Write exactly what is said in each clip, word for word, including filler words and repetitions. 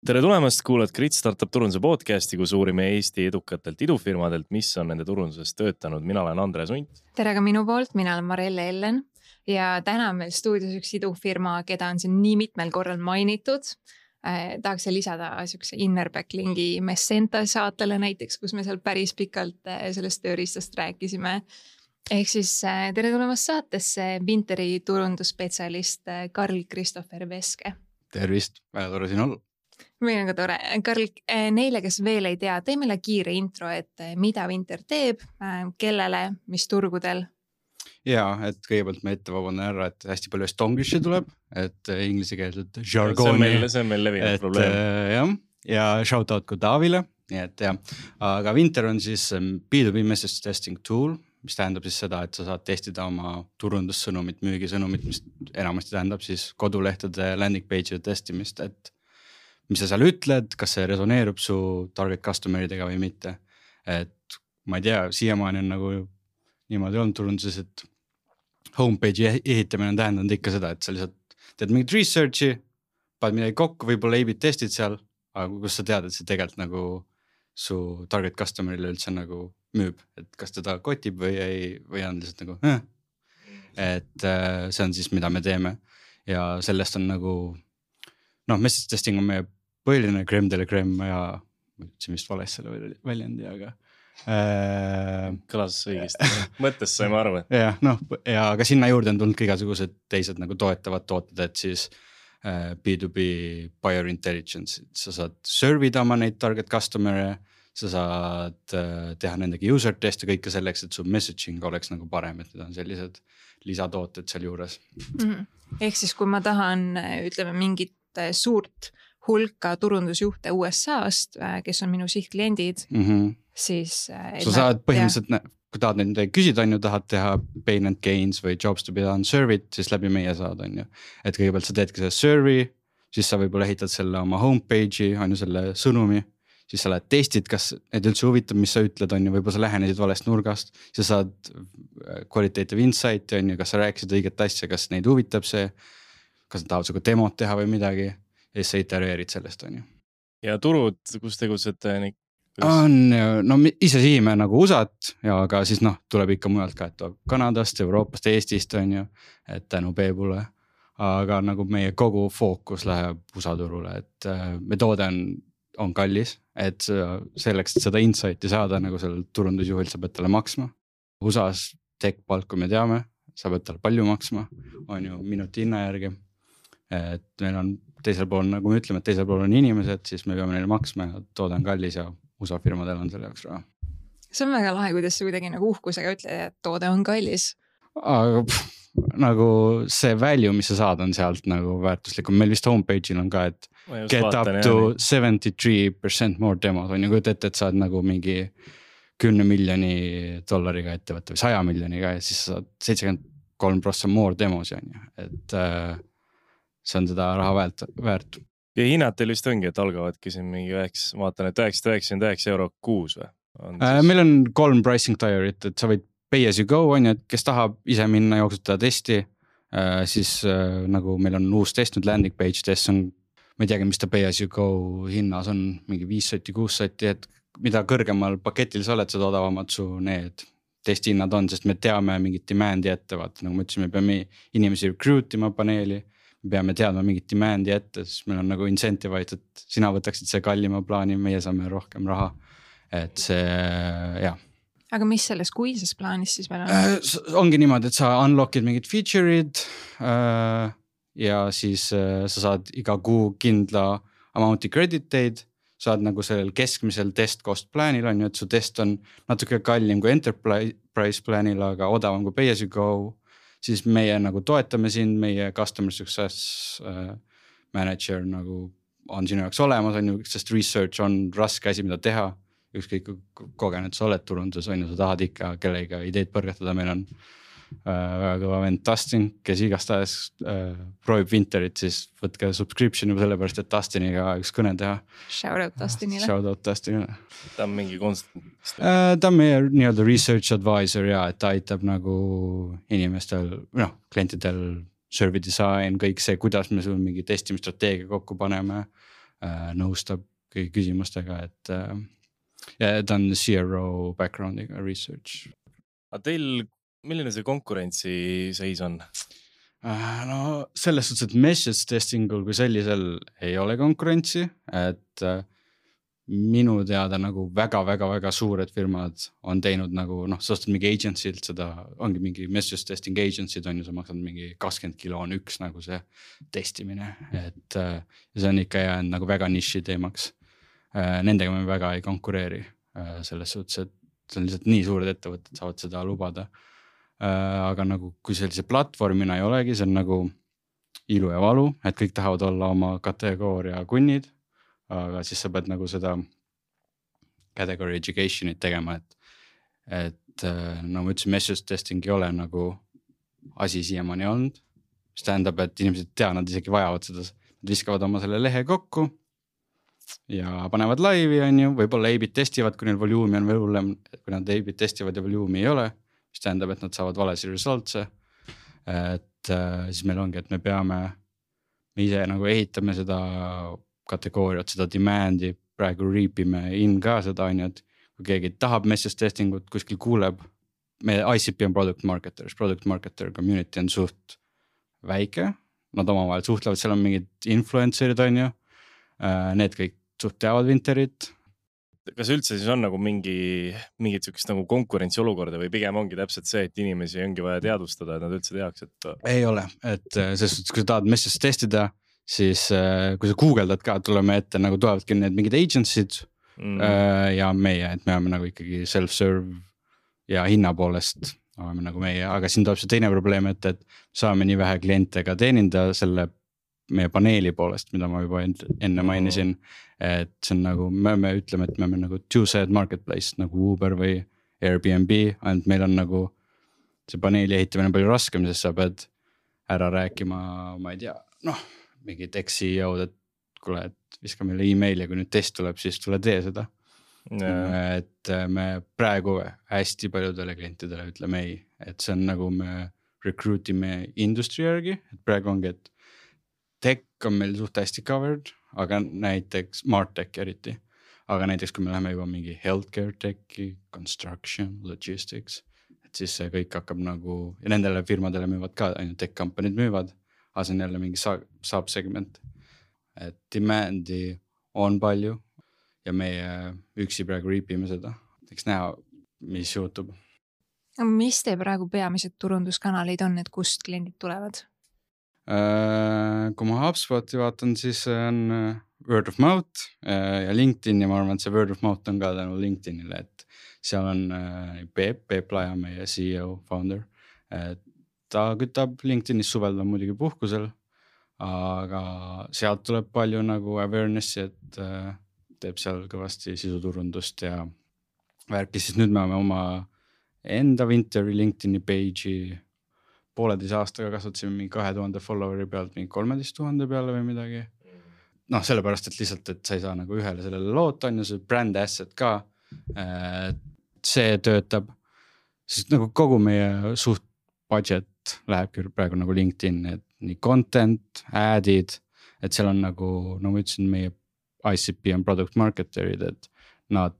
Tere tulemast, kuulad Grit Startup turunduse podcasti, kus uurime Eesti edukatelt idufirmadelt, mis on nende turunduses töötanud. Mina olen Andres Unt. Tere ka minu poolt, mina olen Marelle Ellen ja täna on meil stuudios üks idufirma, keda on siin nii mitmel korral mainitud. Eh, tahaks lisada sükse Innerbackling'i Messenta saatele näiteks, kus me seal päris pikalt sellest tööriistast rääkisime. Ehk siis tere tulemast saatesse Vinteri turundusspetsialist Karl-Kristoffer Veske. Tervist, väga tore siin olla. Meil on ka tore. Karl, neile, kes veel ei tea, tee meile kiire intro, et mida Vinter teeb, kellele, mis turgudel? Jaa, et kõigepealt me ette vabandan ära, et hästi palju estonglishi tuleb, et inglise keelset jargoni. See on meil levinud probleem. Jah, ja shout out ka Taavile, nii et jah. Aga Vinter on siis B two B message testing tool, mis tähendab siis seda, et sa saad testida oma turundussõnumit, müügisõnumit, mis enamasti tähendab siis kodulehtede landing page'ide testimist, et mis sa seal ütled, kas see resoneerub su target customeridega või mitte. Et ma ei tea, siiamaani on nagu niimoodi olnud turunduses, et homepage'i ehitamine on tähendanud ikka seda, et sa lihtsalt teed mingit researchi, paned midagi kokku, võib-olla A-B testid seal, aga kus sa tead, et see tegelikult nagu su target customerile üldse nagu müüb, et kas teda kotib või ei, või on lihtsalt nagu äh. Et see on siis, mida me teeme ja sellest on nagu noh, message testing on meie põhiline crème de la crème ja see vist vales selle väljendi, aga äh, kõlas õigesti. Mõttes saime aru. Ja, noh, ja ka sinna juurde on tulnud igasugused teised nagu toetavad tooted, et siis äh, B two B buyer intelligence, sa saad servida oma neid target customer'e, sa saad äh, teha nendega user teste kõike selleks, et su messaging oleks nagu parem, et need on sellised lisatooted seal juures. Mm-hmm. Ehk siis, kui ma tahan, ütleme, mingit suurt hulka turundusjuhte U S A-st, kes on minu sihtkliendid, mm-hmm. siis sa saad põhimõtteliselt, kui tahad nende küsida, on ju, tahad teha pain and gains või jobs to be done survey'd, siis läbi meie saad, on ju. Et kõigepealt sa teedki see survey, siis sa võib-olla ehitad selle oma homepage'i, on ju selle sõnumi, siis sa lähed testid, kas need üldse huvitab, mis sa ütled, on ju, võib-olla sa lähenesid valest nurgast, siis sa saad qualitative insight, on ju, kas sa rääkisid õiget asja, kas neid huvitab see, kas nad tahavad suga demot teha või midagi. Ja siis sa itereerid sellest, on ju. Ja turud, kus tegutsete? On, no ise siime nagu U S A-t, ja aga siis noh, tuleb ikka mujalt ka, et tuleb Kanadast, Euroopast, Eestist, on ju, et tänu Peebule. Aga nagu meie kogu fookus läheb U S A turule, et me toode on, on kallis, et selleks, et seda insighti saada, nagu sellel turundusjuhil sa pead talle maksma. U S A-s tech palk, kui me teame, sa pead talle palju maksma, on ju minuti hinna järgi. Et meil on teisel pool, nagu me ütleme, et teisel pool on inimesed, siis me peame neile maksma ja toode on kallis ja U S A firmadel on selle jaoks raha. See on väga lahe, kuidas sa kuidagi nagu uhkusega ütled, et toode on kallis. Aga pff, nagu see value, mis sa saad, on sealt nagu väärtuslikum. Meil vist homepage'il on ka, et get vaatan, up to jah, seventy-three percent more demos. On ju kuid ette, et saad nagu mingi kümne miljoni dollariga ettevõtte või saja miljoniga ja siis saad seitsekümmend kolm prossa more demos. On ju. Et äh, see on seda raha väärt, väärt. Ja hinnad teil vist ongi, et algavadki siin mingi üheks, vaatan, et üheksasada üheksakümmend üheksa euro kuus või? On siis... Meil on kolm pricing tierit, et sa võid pay as you go, on ju, et kes tahab ise minna jooksutada testi, siis nagu meil on uus test, nüüd landing page test on, ma ei teagi, mis ta pay as you go hinnas on, mingi viis sotti, kuus sotti, et mida kõrgemal paketil sa oled, seda odavamad su need testihinnad on, sest me teame mingit demand'i ette, vaata, nagu ma ütlesin, me peame inimesi recruit ima paneeli, me peame teadma mingit demand'i ette, siis meil on nagu incentive'id, et sina võtaksid see kallima plaani, meie saame rohkem raha, et see, jah. Aga mis selles kuises plaanis siis meil on? Äh, ongi niimoodi, et sa unlockid mingid feature'id äh, ja siis äh, sa saad iga kuu kindla amount'i crediteid, saad nagu sellel keskmisel test cost plaanil on ju, et su test on natuke kallim kui enterprise plaanil, aga odavam kui pay as you go, siis meie nagu toetame siin, meie customer success äh, manager nagu on sinu jaoks olemas, on ju, sest research on raske asi, mida teha. Ükskõik kogenud sa oled turundus, on ju, sa tahad ikka kellega ideid põrgatada, meil on väga kõva vend Dustin, kes igastahes äh, proovib Vinterit, siis võtke subscription juba sellepärast, et Dustiniga üks kõne teha. Shout out Dustinile. Shout out Dustinile. Ta on mingi konstant. Äh, ta on meie nii-öelda research advisor ja et ta aitab nagu inimestel, noh, klientidel survey design, kõik see, kuidas me sul mingi testimisstrateegia kokku paneme, äh, nõustab kõigi küsimustega, et äh, ja ta on C R O background'iga research. aga teil, milline see konkurentsi seis on? No selles suhtes, et message testingul kui sellisel ei ole konkurentsi, et minu teada nagu väga-väga-väga suured firmad on teinud nagu noh, sa ostad mingi agency'lt seda, ongi mingi message testing agency'd on ju, sa maksad mingi kakskümmend kilo on üks nagu see testimine, et ja see on ikka jäänud nagu väga niši teemaks. Nendega me väga ei konkureeri selles suhtes, et see on lihtsalt nii suured ettevõtted saavad seda lubada. Aga nagu kui sellise platvormina ei olegi, see on nagu ilu ja valu, et kõik tahavad olla oma kategooria kunnid, aga siis sa pead nagu seda category education'it tegema, et, et no ma ütlesin, message testing ei ole nagu asi siiamaani olnud, mis tähendab, et inimesed tea, nad isegi vajavad seda, nad viskavad oma selle lehe kokku ja panevad laivi, on ju, võib-olla A-bit testivad, kui neil voluumi on veel hullem, kui nad A-bit testivad ja voluumi ei ole, mis tähendab, et nad saavad valesi resultse, et äh, siis meil ongi, et me peame, me ise nagu ehitame seda kategooriat, seda demand'i, praegu reapime in ka seda, on ju, et kui keegi tahab message testingut, kuskil kuuleb, me I C P on product marketers, product marketer community on suht väike, nad omavahel suhtlevad, seal on mingid influencerid, on ju, äh, need kõik suht teavad Vinterit. Kas üldse siis on nagu mingi, mingit sükest nagu konkurentsi olukorda või pigem ongi täpselt see, et inimesi ongi vaja teadvustada, et nad üldse teaks, et... Ei ole, et selles suhtes, kui sa tahad message testida, siis kui sa googeldad ka, tuleme ette, nagu tulevatki need mingid agency'd mm. ja meie, et me oleme nagu ikkagi self-serve ja hinna poolest oleme nagu meie, aga siin tuleb see teine probleem, et, et saame nii vähe kliente ka teeninda selle meie paneeli poolest, mida ma juba enne mainisin, et see on nagu, me, me ütleme, et me oleme nagu two-sided marketplace nagu Uber või Airbnb, ainult meil on nagu see paneeli ehitamine palju raskem, sest sa pead ära rääkima, ma ei tea, noh, mingi tech C E O-d, et kuule, et viska meile email ja kui nüüd test tuleb, siis tule tee seda. Yeah. Et me praegu hästi paljudele klientidele ütleme ei, et see on nagu me recruit ime industry järgi, et praegu ongi, et tech on meil suht hästi covered, aga näiteks MarTech eriti, aga näiteks kui me läheme juba mingi healthcare techi, construction, logistics, et siis see kõik hakkab nagu, ja nendele firmadele müüvad ka, ainult tech company'd müüvad, aga see on jälle mingi sub-segment, et demand'i on palju ja meie üksi praegu riipime seda, eks näha, mis juhtub. Mis te praegu peamised turunduskanalid on, et kust kliendid tulevad? Kui ma HubSpoti vaatan, siis on word of mouth ja LinkedIn ja ma arvan, et see word of mouth on ka tänu LinkedInile, et seal on Peep, Peep Laja, meie C E O, founder. Ta kütab LinkedInis suvel on muidugi puhkusel, aga sealt tuleb palju nagu awarenessi, et teeb seal kõvasti sisuturundust ja värki, siis nüüd me oleme oma enda Vinteri LinkedIni page'i pooleteise aastaga kasvatasime mingi kahe tuhande followeri pealt mingi kolmeteist tuhande peale või midagi. Noh, sellepärast, et lihtsalt, et sa ei saa nagu ühele sellele loota, on ju see brand asset ka, see töötab, sest nagu kogu meie suht budget läheb praegu nagu LinkedIn, et nii content, ad'id, et seal on nagu, no ma ütlesin, meie I C P on product marketerid, et nad,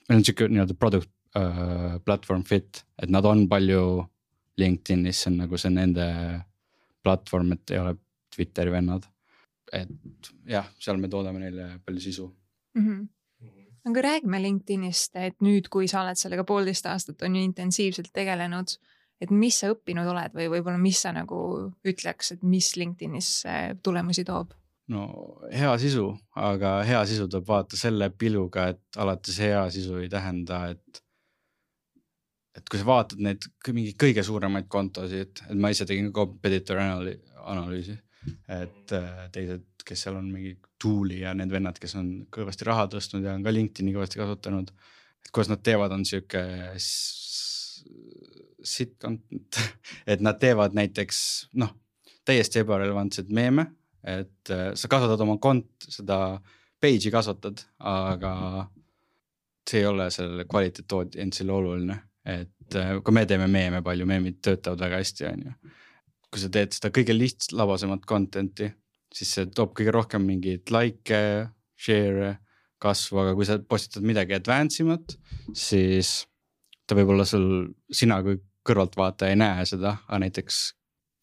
meil on siuke nii-öelda product uh, platform fit, et nad on palju LinkedInis, see on nagu see nende platvorm, et ei ole Twitteri vennad. Et jah, seal me toodame neile palju sisu. Mm-hmm. Aga räägime LinkedInist, et nüüd, kui sa oled sellega poolteist aastat on ju intensiivselt tegelenud, et mis sa õppinud oled või võib-olla mis sa nagu ütleks, et mis LinkedInis tulemusi toob? No hea sisu, aga hea sisu tuleb vaata selle piluga, et alates hea sisu ei tähenda, et et kui sa vaatad neid mingi kõige suuremaid kontosid, et ma ise tegin competitor analüüsi, et teised, kes seal on mingi tool'i ja need vennad, kes on kõvasti raha tõstnud ja on ka LinkedIni kõvasti kasutanud, et kuidas nad teevad, on siuke sit content, et nad teevad näiteks, noh, täiesti ebarelevantsed meeme, et sa kasvatad oma kont, seda page'i kasvatad, aga see ei ole selle kvaliteet endsile oluline. Et kui me teeme meeme palju, meemid töötavad väga hästi, on ju. Kui sa teed seda kõige lihtst labasemat contenti, siis see toob kõige rohkem mingid like, share kasvu, aga kui sa postitad midagi advance imat, siis ta võib olla sul, sina kui kõrvaltvaataja ei näe seda, aga näiteks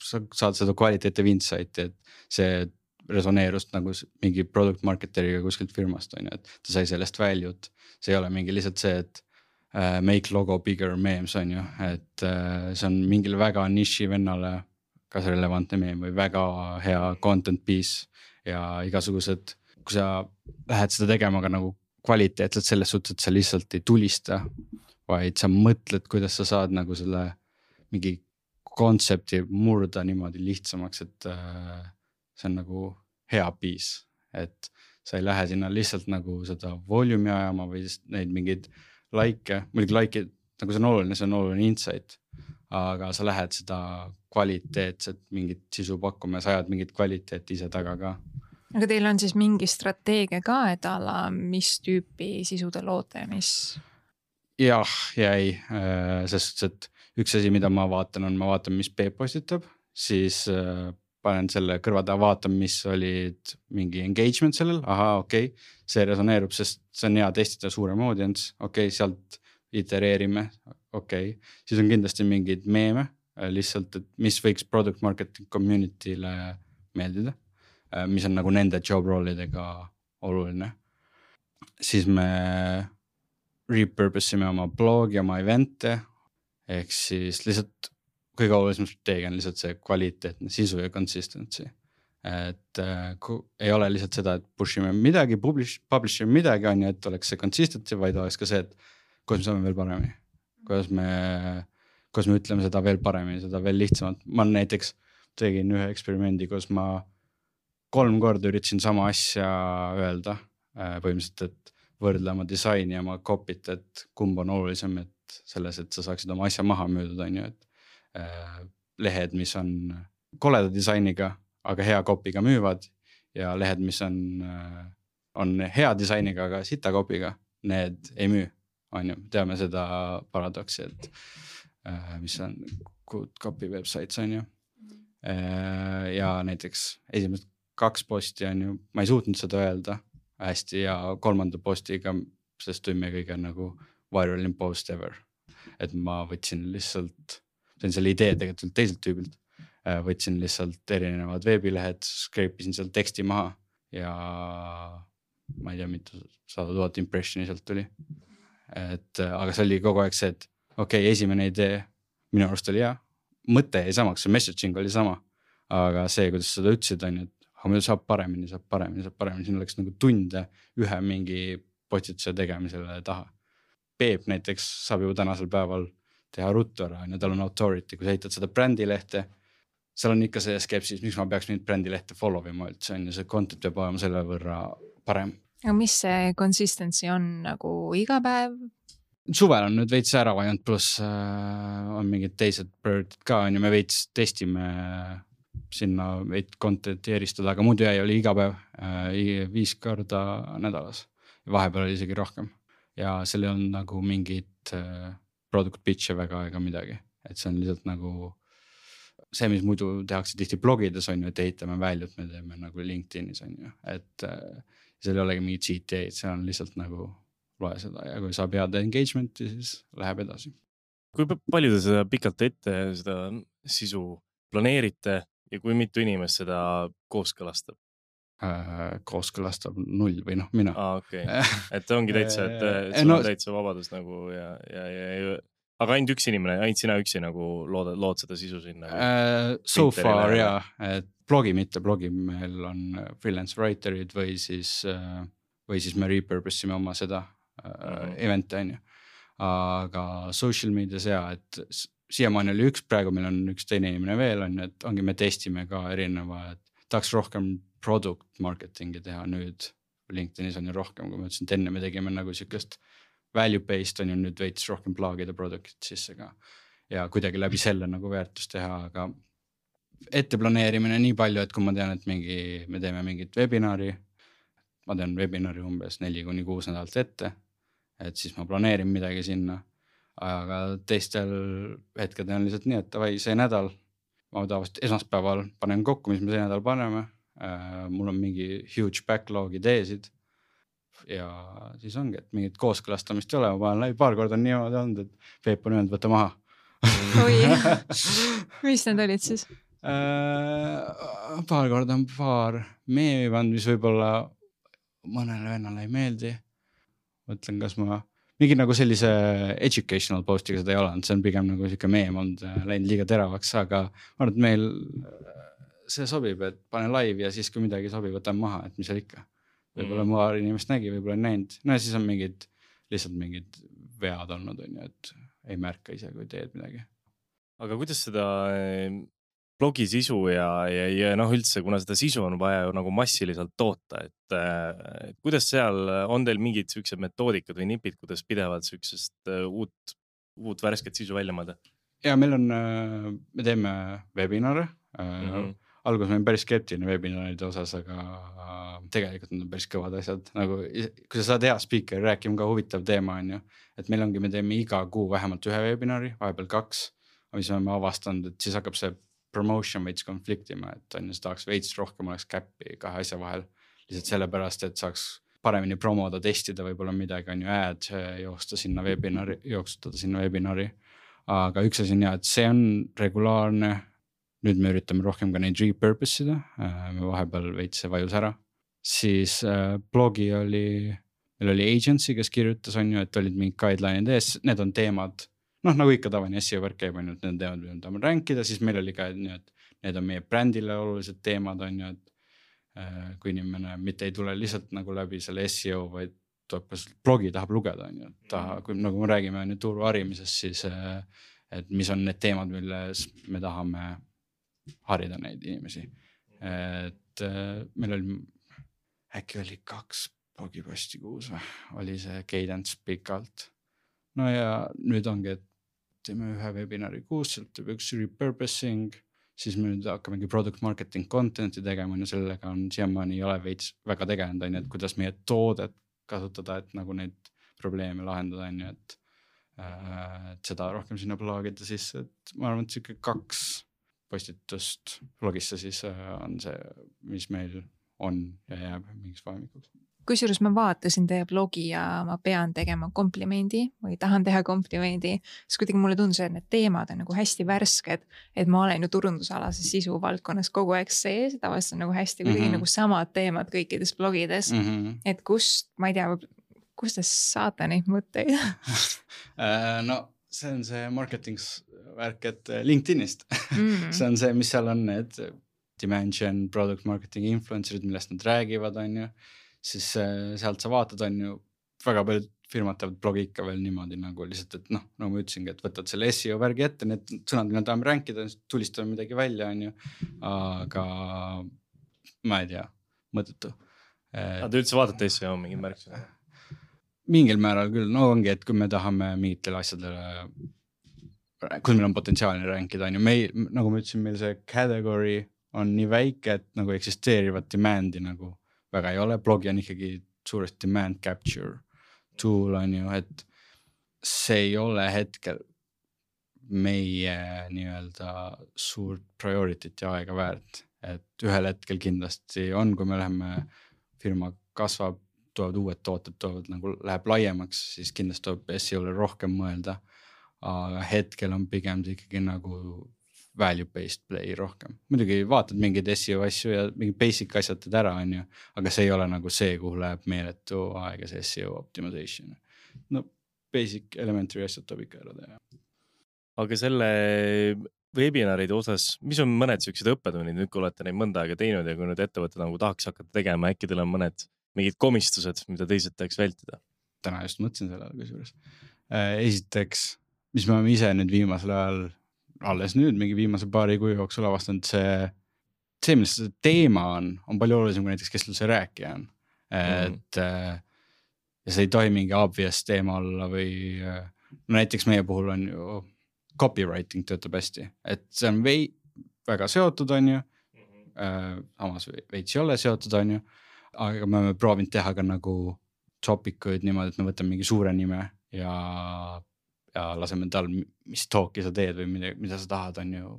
sa saad seda qualitative insight'i, et see resoneerust nagu mingi product marketeriga kuskilt firmast on ju, et ta sai sellest value't. See ei ole mingi lihtsalt see, et uh, make logo bigger memes on ju, et uh, see on mingile väga niši vennale kas relevantne meme või väga hea content piece ja igasugused, kui sa lähed seda tegema ka nagu kvaliteetselt selles suhtes, et sa lihtsalt ei tulista, vaid sa mõtled, kuidas sa saad nagu selle mingi kontsepti murda niimoodi lihtsamaks, et uh, see on nagu hea piis, et sa ei lähe sinna lihtsalt nagu seda volume'i ajama või neid mingeid like, muidugi like, nagu see on oluline, see on oluline insight, aga sa lähed seda kvaliteetset mingit sisu pakkuma ja sa ajad mingit kvaliteeti ise taga ka. Aga teil on siis mingi strateegia ka, et ala mis tüüpi sisude loote, mis? Jah, ja ei, sest et üks asi, mida ma vaatan, on ma vaatan, mis Peep postitab, siis panen selle kõrva taha, vaatan, mis olid mingi engagement sellel, aha, okei, okay, see resoneerub, sest see on hea testida suurem audience, okei okay,, sealt itereerime, okei okay., siis on kindlasti mingid meeme, lihtsalt, et mis võiks product marketing community'le meeldida, mis on nagu nende job rollidega oluline. Siis me repurpose ime oma blogi, oma event'e, ehk siis lihtsalt kõige olulisem strateegia on lihtsalt see kvaliteetne sisu ja consistency. Et äh, ei ole lihtsalt seda, et push ime midagi, publish, publish ime midagi on ju, et oleks see consistency, vaid oleks ka see, et kuidas me saame veel paremini. Kuidas me, kuidas me ütleme seda veel paremini, seda veel lihtsamalt. Ma näiteks tegin ühe eksperimendi, kus ma kolm korda üritasin sama asja öelda, äh, põhimõtteliselt, et võrdle oma disaini ja oma copy't, et kumb on olulisem, et selles, et sa saaksid oma asja maha müüdud, on ju, et lehed, mis on koleda disainiga, aga hea kopiga müüvad ja lehed, mis on, on hea disainiga, aga sita kopiga, need ei müü, on ju. Teame seda paradoksi, et mis on good copy websites, on ju. Ja näiteks esimesed kaks posti on ju, ma ei suutnud seda öelda hästi ja kolmanda postiga, sest tuli meie kõige nagu viral in post ever. Et ma võtsin lihtsalt see on selle idee tegelikult teiselt tüübilt. Võtsin lihtsalt erinevad veebilehed, skreipisin seal teksti maha ja ma ei tea, mitu sada tuhat impressioni sealt tuli. Et, aga see oli kogu aeg see, et okei, okay, esimene idee minu arust oli hea. Mõte ei samaks, see messaging oli sama, aga see, kuidas seda ütlesid, on, et aga meil saab paremini, saab paremini, saab paremini. Siin oleks nagu tunde ühe mingi postituse tegemisele taha. Peep näiteks saab juba tänasel päeval teha ruttu ära, ja tal on authority, kui sa ehitad seda brändilehte, seal on ikka see skepsis, miks ma peaks nüüd brändilehte follow ima üldse, on ja see content peab olema selle võrra parem. Aga mis see consistency on nagu iga päev? Suvel on nüüd veits ära vajanud, pluss äh, on mingid teised priority'd ka, on ja me veits testime sinna veits content'i eristada, aga muidu jäi oli iga päev äh, viis korda nädalas ja vahepeal oli isegi rohkem ja seal on nagu mingid äh, product pitch'e väga ega midagi, et see on lihtsalt nagu see, mis muidu tehakse tihti blogides on ju, et ehitame väljut, me teeme nagu LinkedInis on ju, et äh, seal ei olegi mingi G T A, see on lihtsalt nagu loe seda ja kui saab head engagement'i, siis läheb edasi. Kui palju te seda pikalt ette seda sisu planeerite ja kui mitu inimest seda kooskõlastab? Äh, kooskõlastab null või noh, mina. Ah, okei. Okay. Et ongi täitsa, et, et sul no, on täitsa vabadus nagu ja, ja, ja, ja aga ainult üks inimene, ainult sina üksi nagu lood, lood seda sisu sinna? Uh, so far ja, et blogi mitte, blogi meil on freelance writerid või siis, uh, või siis me repurpose ime oma seda uh, mm. event'e on ju. Aga social medias ja, et siiamaani oli üks, praegu meil on üks teine inimene veel on, et ongi me testime ka erineva, et tahaks rohkem product marketingi teha nüüd. LinkedInis on ju rohkem, kui ma ütlesin, et enne me tegime nagu sükest value-based on ju nüüd veits rohkem plaagida product'id sisse ka. Ja kuidagi läbi selle nagu väärtust teha, aga ette planeerimine nii palju, et kui ma tean, et mingi, me teeme mingit webinari, ma tean webinari umbes neli kuni kuus nädalat ette, et siis ma planeerin midagi sinna, aga teistel hetkedel on lihtsalt nii, et vai see nädal, ma tavaliselt esmaspäeval panen kokku, mis me see nädal paneme, uh, mul on mingi huge backlog ideesid, ja siis ongi, et mingit kooskõlastamist ei ole, ma panen läbi, paar korda on niimoodi olnud, et Peep on öelnud, võtta maha. Oi, mis need olid siis? Äh, paar korda on paar meemi pannud, mis võib-olla mõnele vennale ei meeldi. Mõtlen, kas ma mingi nagu sellise educational postiga seda ei ole, see on pigem nagu siuke meem olnud, läinud liiga teravaks, aga ma arvan, et meil see sobib, et pane live ja siis kui midagi sobib, võtan maha, et mis seal ikka. Võib-olla mm. paar inimest nägi, võib-olla ei näinud. No ja siis on mingid, lihtsalt mingid vead olnud, on ju, et ei märka ise, kui teed midagi. Aga kuidas seda blogi sisu ja, ja, ja noh üldse, kuna seda sisu on vaja nagu massiliselt toota, et, et kuidas seal on teil mingid sükse metoodikad või nipid, kuidas pidevalt süksest uut, uut värsket sisu välja mõelda? Ja meil on, me teeme webinare. Mm-hmm. Alguses me olime päris skeptiline webinaride osas, aga tegelikult on päris kõvad asjad. Nagu, kui sa saad hea speaker, rääkima ka huvitav teema on ju. Et meil ongi, me teeme iga kuu vähemalt ühe webinari, vahepeal kaks, mis me oleme avastanud, et siis hakkab see promotion veits konfliktima, et on ju, see tahaks veits rohkem oleks käppi kahe asja vahel. Lihtsalt sellepärast, et saaks paremini promoda, testida võib-olla midagi on ju ad, joosta sinna webinari, jooksutada sinna webinari. Aga üks asi on ja, et see on regulaarne. Nüüd me üritame rohkem ka neid repurpose ida, me vahepeal veits see vajus ära. Siis äh, blogi oli, meil oli agency, kes kirjutas on ju, et olid mingid guideline'id ees, need on teemad, noh nagu ikka tavaline S E O võrk käib on ju, et need teemad, mida tahame rankida, siis meil oli ka, et need on meie brändile olulised teemad on ju, et äh, kui inimene mitte ei tule lihtsalt nagu läbi selle S E O, vaid tuleb ka blogi tahab lugeda on ju, taha, kui nagu me räägime on ju turu harimisest, siis äh, et mis on need teemad, milles me tahame harida neid inimesi. Et äh, meil oli, äkki oli kaks blogiposti kuus või, oli see cadence pikalt. No ja nüüd ongi, et teeme ühe webinari kuus, sealt teeb üks repurposing, siis me nüüd hakkamegi product marketing content'i tegema, ja sellega on siiamaani ei ole veits väga tegelenud, on ju, et kuidas meie toodet kasutada, et nagu neid probleeme lahendada, on ju, et, äh, et seda rohkem sinna plaagida sisse, et ma arvan, et siuke kaks postitust blogisse siis on see, mis meil on ja jääb mingiks vahemikuks. Kusjuures ma vaatasin teie blogi ja ma pean tegema komplimendi või tahan teha komplimendi, siis kuidagi mulle tundus, et need teemad on nagu hästi värsked, et ma olen ju turundusalase sisu valdkonnas kogu aeg sees, tavaliselt on nagu hästi kuidagi mm-hmm. nagu samad teemad kõikides blogides, mm-hmm. et kust, ma ei tea, kust te saate neid mõtteid? no see on see marketing värk, et LinkedInist. Mm. see on see, mis seal on need dimension, product marketing influencerid, millest nad räägivad, on ju. Siis sealt sa vaatad, on ju, väga palju firmad teevad blogi ikka veel niimoodi nagu lihtsalt, et noh, nagu ma ütlesingi, et võtad selle S E O värgi ette, need sõnad, mille tahame rankida, tulistame midagi välja, on ju. Aga ma ei tea, mõttetu. Aga te üldse vaatate S E O mingid märksõna? Mingil määral küll, no ongi, et kui me tahame mingitele asjadele, kui meil on potentsiaalne rankida, on ju, meil, nagu ma ütlesin, meil see category on nii väike, et nagu eksisteerivat demandi nagu väga ei ole, blogi on ikkagi suuresti demand capture tool on ju, et see ei ole hetkel meie nii-öelda suurt priority't ja aega väärt, et ühel hetkel kindlasti on, kui me läheme, firma kasvab, tulevad uued tooted, tulevad nagu läheb laiemaks, siis kindlasti tuleb S E O-le rohkem mõelda, aga hetkel on pigem ikkagi nagu value-based play rohkem. Muidugi vaatad mingeid S E O asju ja mingi basic asjad teed ära, on ju, aga see ei ole nagu see, kuhu läheb meeletu aega see S E O optimization. No basic elementary asjad tuleb ikka ära teha. Aga selle webinaride osas, mis on mõned sellised õppetunnid, nüüd kui olete neid mõnda aega teinud ja kui nüüd ettevõtted nagu tahaks hakata tegema, äkki teil on mõned mingid komistused, mida teised tahaks vältida? Täna just mõtlesin sellele kusjuures. Esiteks, mis me oleme ise nüüd viimasel ajal, alles nüüd mingi viimase paari kuu jooksul avastanud, see, see, milles see teema on, on palju olulisem kui näiteks, kes üldse rääkija on. Et mm. ja see ei tohi mingi obvious teema olla või no näiteks meie puhul on ju copywriting töötab hästi, et see on vei, väga seotud on ju, mm-hmm. samas veits ei ole seotud on ju, aga me oleme proovinud teha ka nagu topikuid niimoodi, et me võtame mingi suure nime ja, ja laseme tal, mis talki sa teed või mida, mida sa tahad, on ju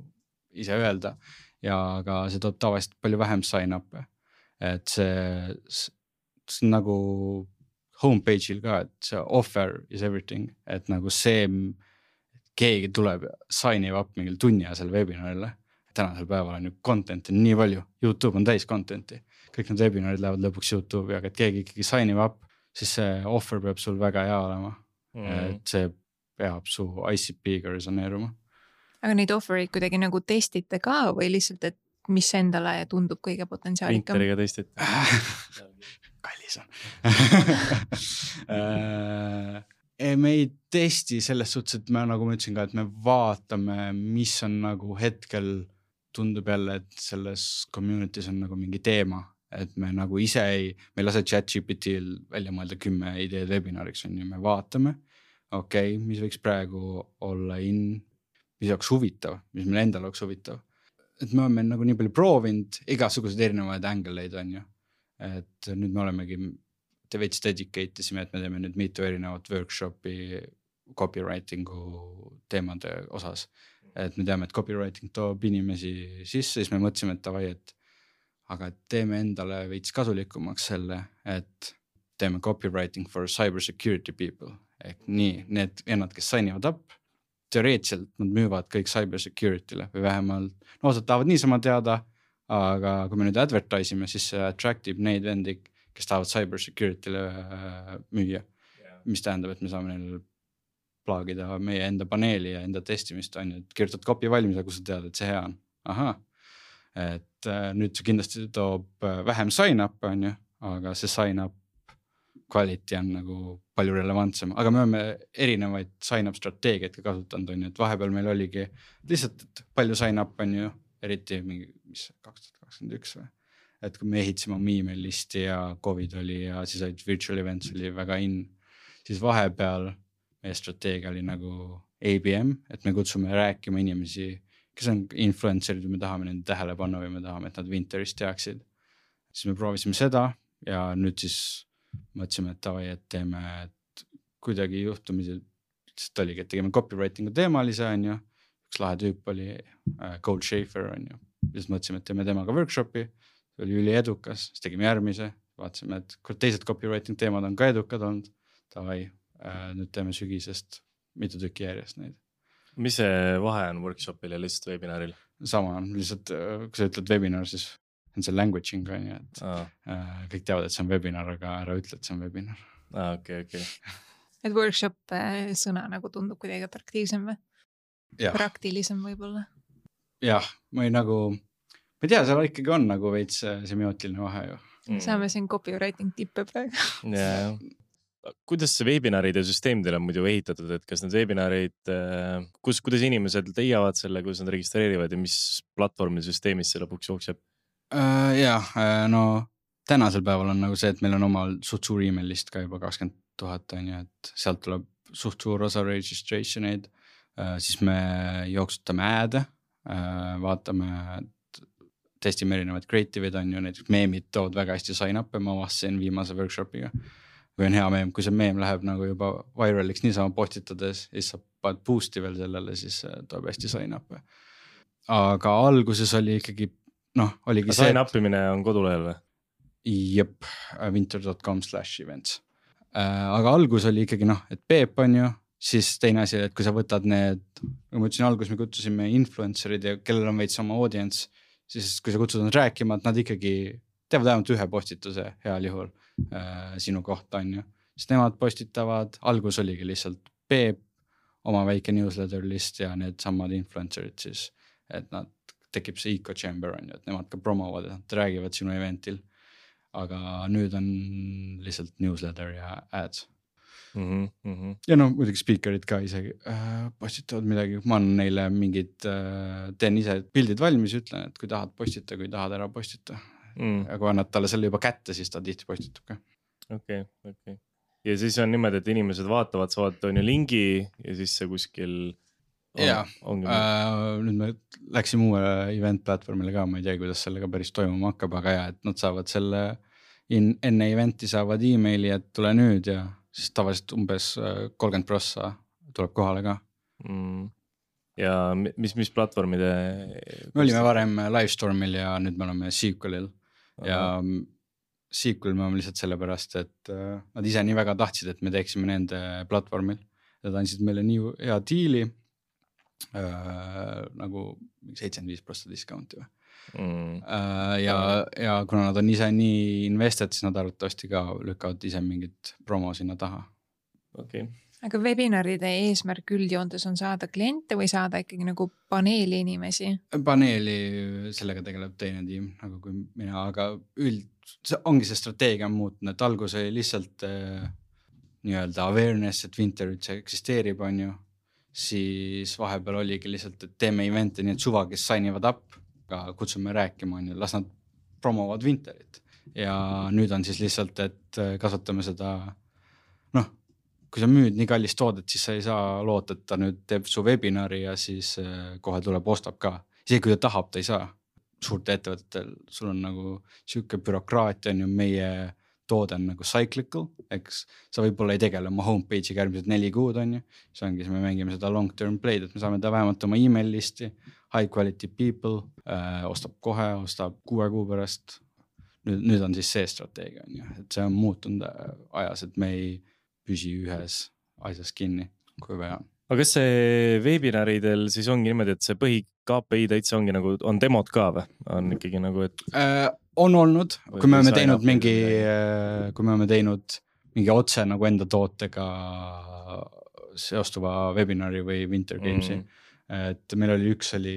ise öelda. Ja aga see toob tavaliselt palju vähem sign-up'e. Et see, see nagu homepage'il ka, et see offer is everything, et nagu see keegi tuleb sign up mingil tunni ajasel webinarile. Tänasel päeval on ju content'i nii palju, YouTube on täis content'i, kõik need webinarid lähevad lõpuks YouTube'i, aga et keegi ikkagi sign up, siis see offer peab sul väga hea olema, mm. et see peab su I C P-ga resoneeruma. Aga neid offer'id kuidagi nagu testite ka või lihtsalt, et mis endale tundub kõige potentsiaalikam? Winteriga testite. Kallis on. Me ei testi selles suhtes, et me nagu ma ütlesin ka, et me vaatame, mis on nagu hetkel tundub jälle, et selles community's on nagu mingi teema, et me nagu ise ei, me ei lase ChatGPT-l välja mõelda kümme ideed webinariks on ju, me vaatame, okei, okay, mis võiks praegu olla in, mis oleks huvitav, mis meil endal oleks huvitav. Et me oleme nagu nii palju proovinud, igasugused erinevaid angleid on ju, et nüüd me olemegi te veits dedicate isime, et me teeme nüüd mitu erinevat workshopi copywritingu teemade osas. Et me teame, et copywriting toob inimesi sisse, siis me mõtlesime, et tavai, et aga teeme endale veits kasulikumaks selle, et teeme copywriting for cybersecurity people. Ehk nii, need ennad, kes signivad up, teoreetselt nad müüvad kõik cybersecurity'le või vähemalt, no osad tahavad niisama teada, aga kui me nüüd advertise ime, siis see attractib neid vendi, kes tahavad cybersecurity'le müüa, yeah. Mis tähendab, et me saame neil plaagida meie enda paneeli ja enda testimist on ju, et kirjutad copy valmis, aga kui sa tead, et see hea on. Aha, et äh, nüüd see kindlasti toob vähem sign-up on ju, aga see sign-up quality on nagu palju relevantsem, aga me oleme erinevaid sign-up strateegiaid ka kasutanud on ju, et vahepeal meil oligi lihtsalt, et palju sign-up on ju, eriti mingi, mis kaks tuhat kakskümmend üks või? Et kui me ehitasime oma email listi ja COVID oli ja siis olid virtual events oli väga in, siis vahepeal meie strateegia oli nagu A B M, et me kutsume rääkima inimesi, kes on influencerid või me tahame nende tähelepanu või me tahame, et nad Winterist teaksid. Siis me proovisime seda ja nüüd siis mõtlesime, et tavai, et teeme et kuidagi juhtumisi, sest oligi, et tegime copywritingu teemalise on ju, üks lahe tüüp oli äh, Gold Schaefer on ju, siis mõtlesime, et teeme temaga workshopi, see oli üli edukas, siis tegime järgmise, vaatasime, et kui teised copywriting teemad on ka edukad olnud, tavai, äh, nüüd teeme sügisest mitu tükki järjest neid. Mis see vahe on workshopil ja lihtsalt webinaril? Sama on, lihtsalt kui sa ütled webinar, siis on see languaging on ju, et ah. äh, kõik teavad, et see on webinar, aga ära ütle, et see on webinar. Ah, okei, okay, okei. Okay. Et workshop äh, sõna nagu tundub kuidagi atraktiivsem või? Ja. Praktilisem võib-olla? Jah, ma ei nagu, ma ei tea, seal ikkagi on nagu veits semiootiline vahe ju. Mm. Saame siin copywriting tippe praegu. Yeah. Kuidas see webinaride süsteem teil on muidu ehitatud, et kas need webinarid, kus, kuidas inimesed leiavad selle, kuidas nad registreerivad ja mis platvormi süsteemis see lõpuks jookseb? Uh, jah, uh, no tänasel päeval on nagu see, et meil on omal suht suur email list ka juba kakskümmend tuhat on ju, et sealt tuleb suht suur osa registration'id, uh, siis me jooksutame ad, uh, vaatame, testime erinevaid creative'id on ju, näiteks meemid tood väga hästi sign up ja ma avastasin viimase workshopiga. Kui on hea meem, kui see meem läheb nagu juba viraliks niisama postitades, siis sa paned boost'i veel sellele, siis toob hästi sign up. Aga alguses oli ikkagi, noh, oligi see... Sign upimine on kodulehel või? Jep, winter dot com slash events. Aga algus oli ikkagi, noh, et Peep on ju, siis teine asi, et kui sa võtad need, kui ma ütlesin algus, me kutsusime influencerid ja kellel on veits oma audience, siis kui sa kutsud nad rääkima, et nad ikkagi teevad vähemalt ühe postituse heal juhul. Sinu kohta on ju, siis nemad postitavad, algus oligi lihtsalt Peep, oma väike newsletter list ja need samad influencerid siis, et nad tekib see eco chamber on ju, et nemad ka promovad, et nad räägivad sinu eventil, aga nüüd on lihtsalt newsletter ja ads. Mm-hmm, mm-hmm. Ja no muidugi speakerid ka isegi äh, postitavad midagi, ma annan neile mingid, äh, teen ise pildid valmis, ütlen, et kui tahad postita, kui tahad ära postita. Mm. Ja kui annad talle selle juba kätte, siis ta tihti postitab ka. Okei, okay, okei. Okay. Ja siis on niimoodi, et inimesed vaatavad, saavad on ju lingi ja siis see kuskil on, ja, äh, nüüd me läksime uue event platvormile ka, ma ei tea, kuidas sellega päris toimuma hakkab, aga ja, et nad saavad selle in, enne eventi saavad emaili, et tule nüüd ja siis tavaliselt umbes kolmkümmend prossa tuleb kohale ka. Mm. Ja mis, mis platvormide? Me olime varem Livestormil ja nüüd me oleme Sequelil. Ja sequel me oleme lihtsalt sellepärast, et äh, nad ise nii väga tahtsid, et me teeksime nende platvormil. Nad andsid meile nii hea diili äh, nagu seitsekümmend viis protsenti discounti või. Mm. Äh, ja, ja kuna nad on ise nii invested, siis nad arvatavasti ka lükkavad ise mingit promo sinna taha. Okay. Aga webinaride eesmärk üldjoontes on saada kliente või saada ikkagi nagu paneeli inimesi? Paneeli sellega tegeleb teine tiim, nagu kui mina, aga üld, see ongi see strateegia muutunud, et algus oli lihtsalt äh, nii-öelda awareness, et Vinter üldse eksisteerib, on ju. Siis vahepeal oligi lihtsalt, et teeme eventi, nii et suva, kes signivad up, ka kutsume rääkima, on ju, las nad promovad Vinterit. Ja nüüd on siis lihtsalt, et kasvatame seda, noh, kui sa müüd nii kallist toodet, siis sa ei saa loota, et ta nüüd teeb su webinari ja siis kohe tuleb ostab ka. Isegi kui ta tahab, ta ei saa. Suurte ettevõtetel sul on nagu siuke bürokraatia on ju meie toode on nagu cyclical, eks sa võib-olla ei tegele oma homepage'iga järgmised neli kuud on ju. See ongi, me mängime seda long term play'd, et me saame ta vähemalt oma email listi, high quality people, äh, ostab kohe, ostab kuue kuu pärast. Nüüd, nüüd on siis see strateegia on ju, et see on muutunud ajas, et me ei püsi ühes asjas kinni, kui vaja. Aga kas see webinaridel siis ongi niimoodi, et see põhi K P I täitsa ongi nagu, on demod ka või? On ikkagi nagu, et... Äh, on olnud, kui me oleme teinud mingi, kui me oleme teinud mingi otse nagu enda tootega seostuva webinari või Winter Gamesi. Mm. Et meil oli üks oli,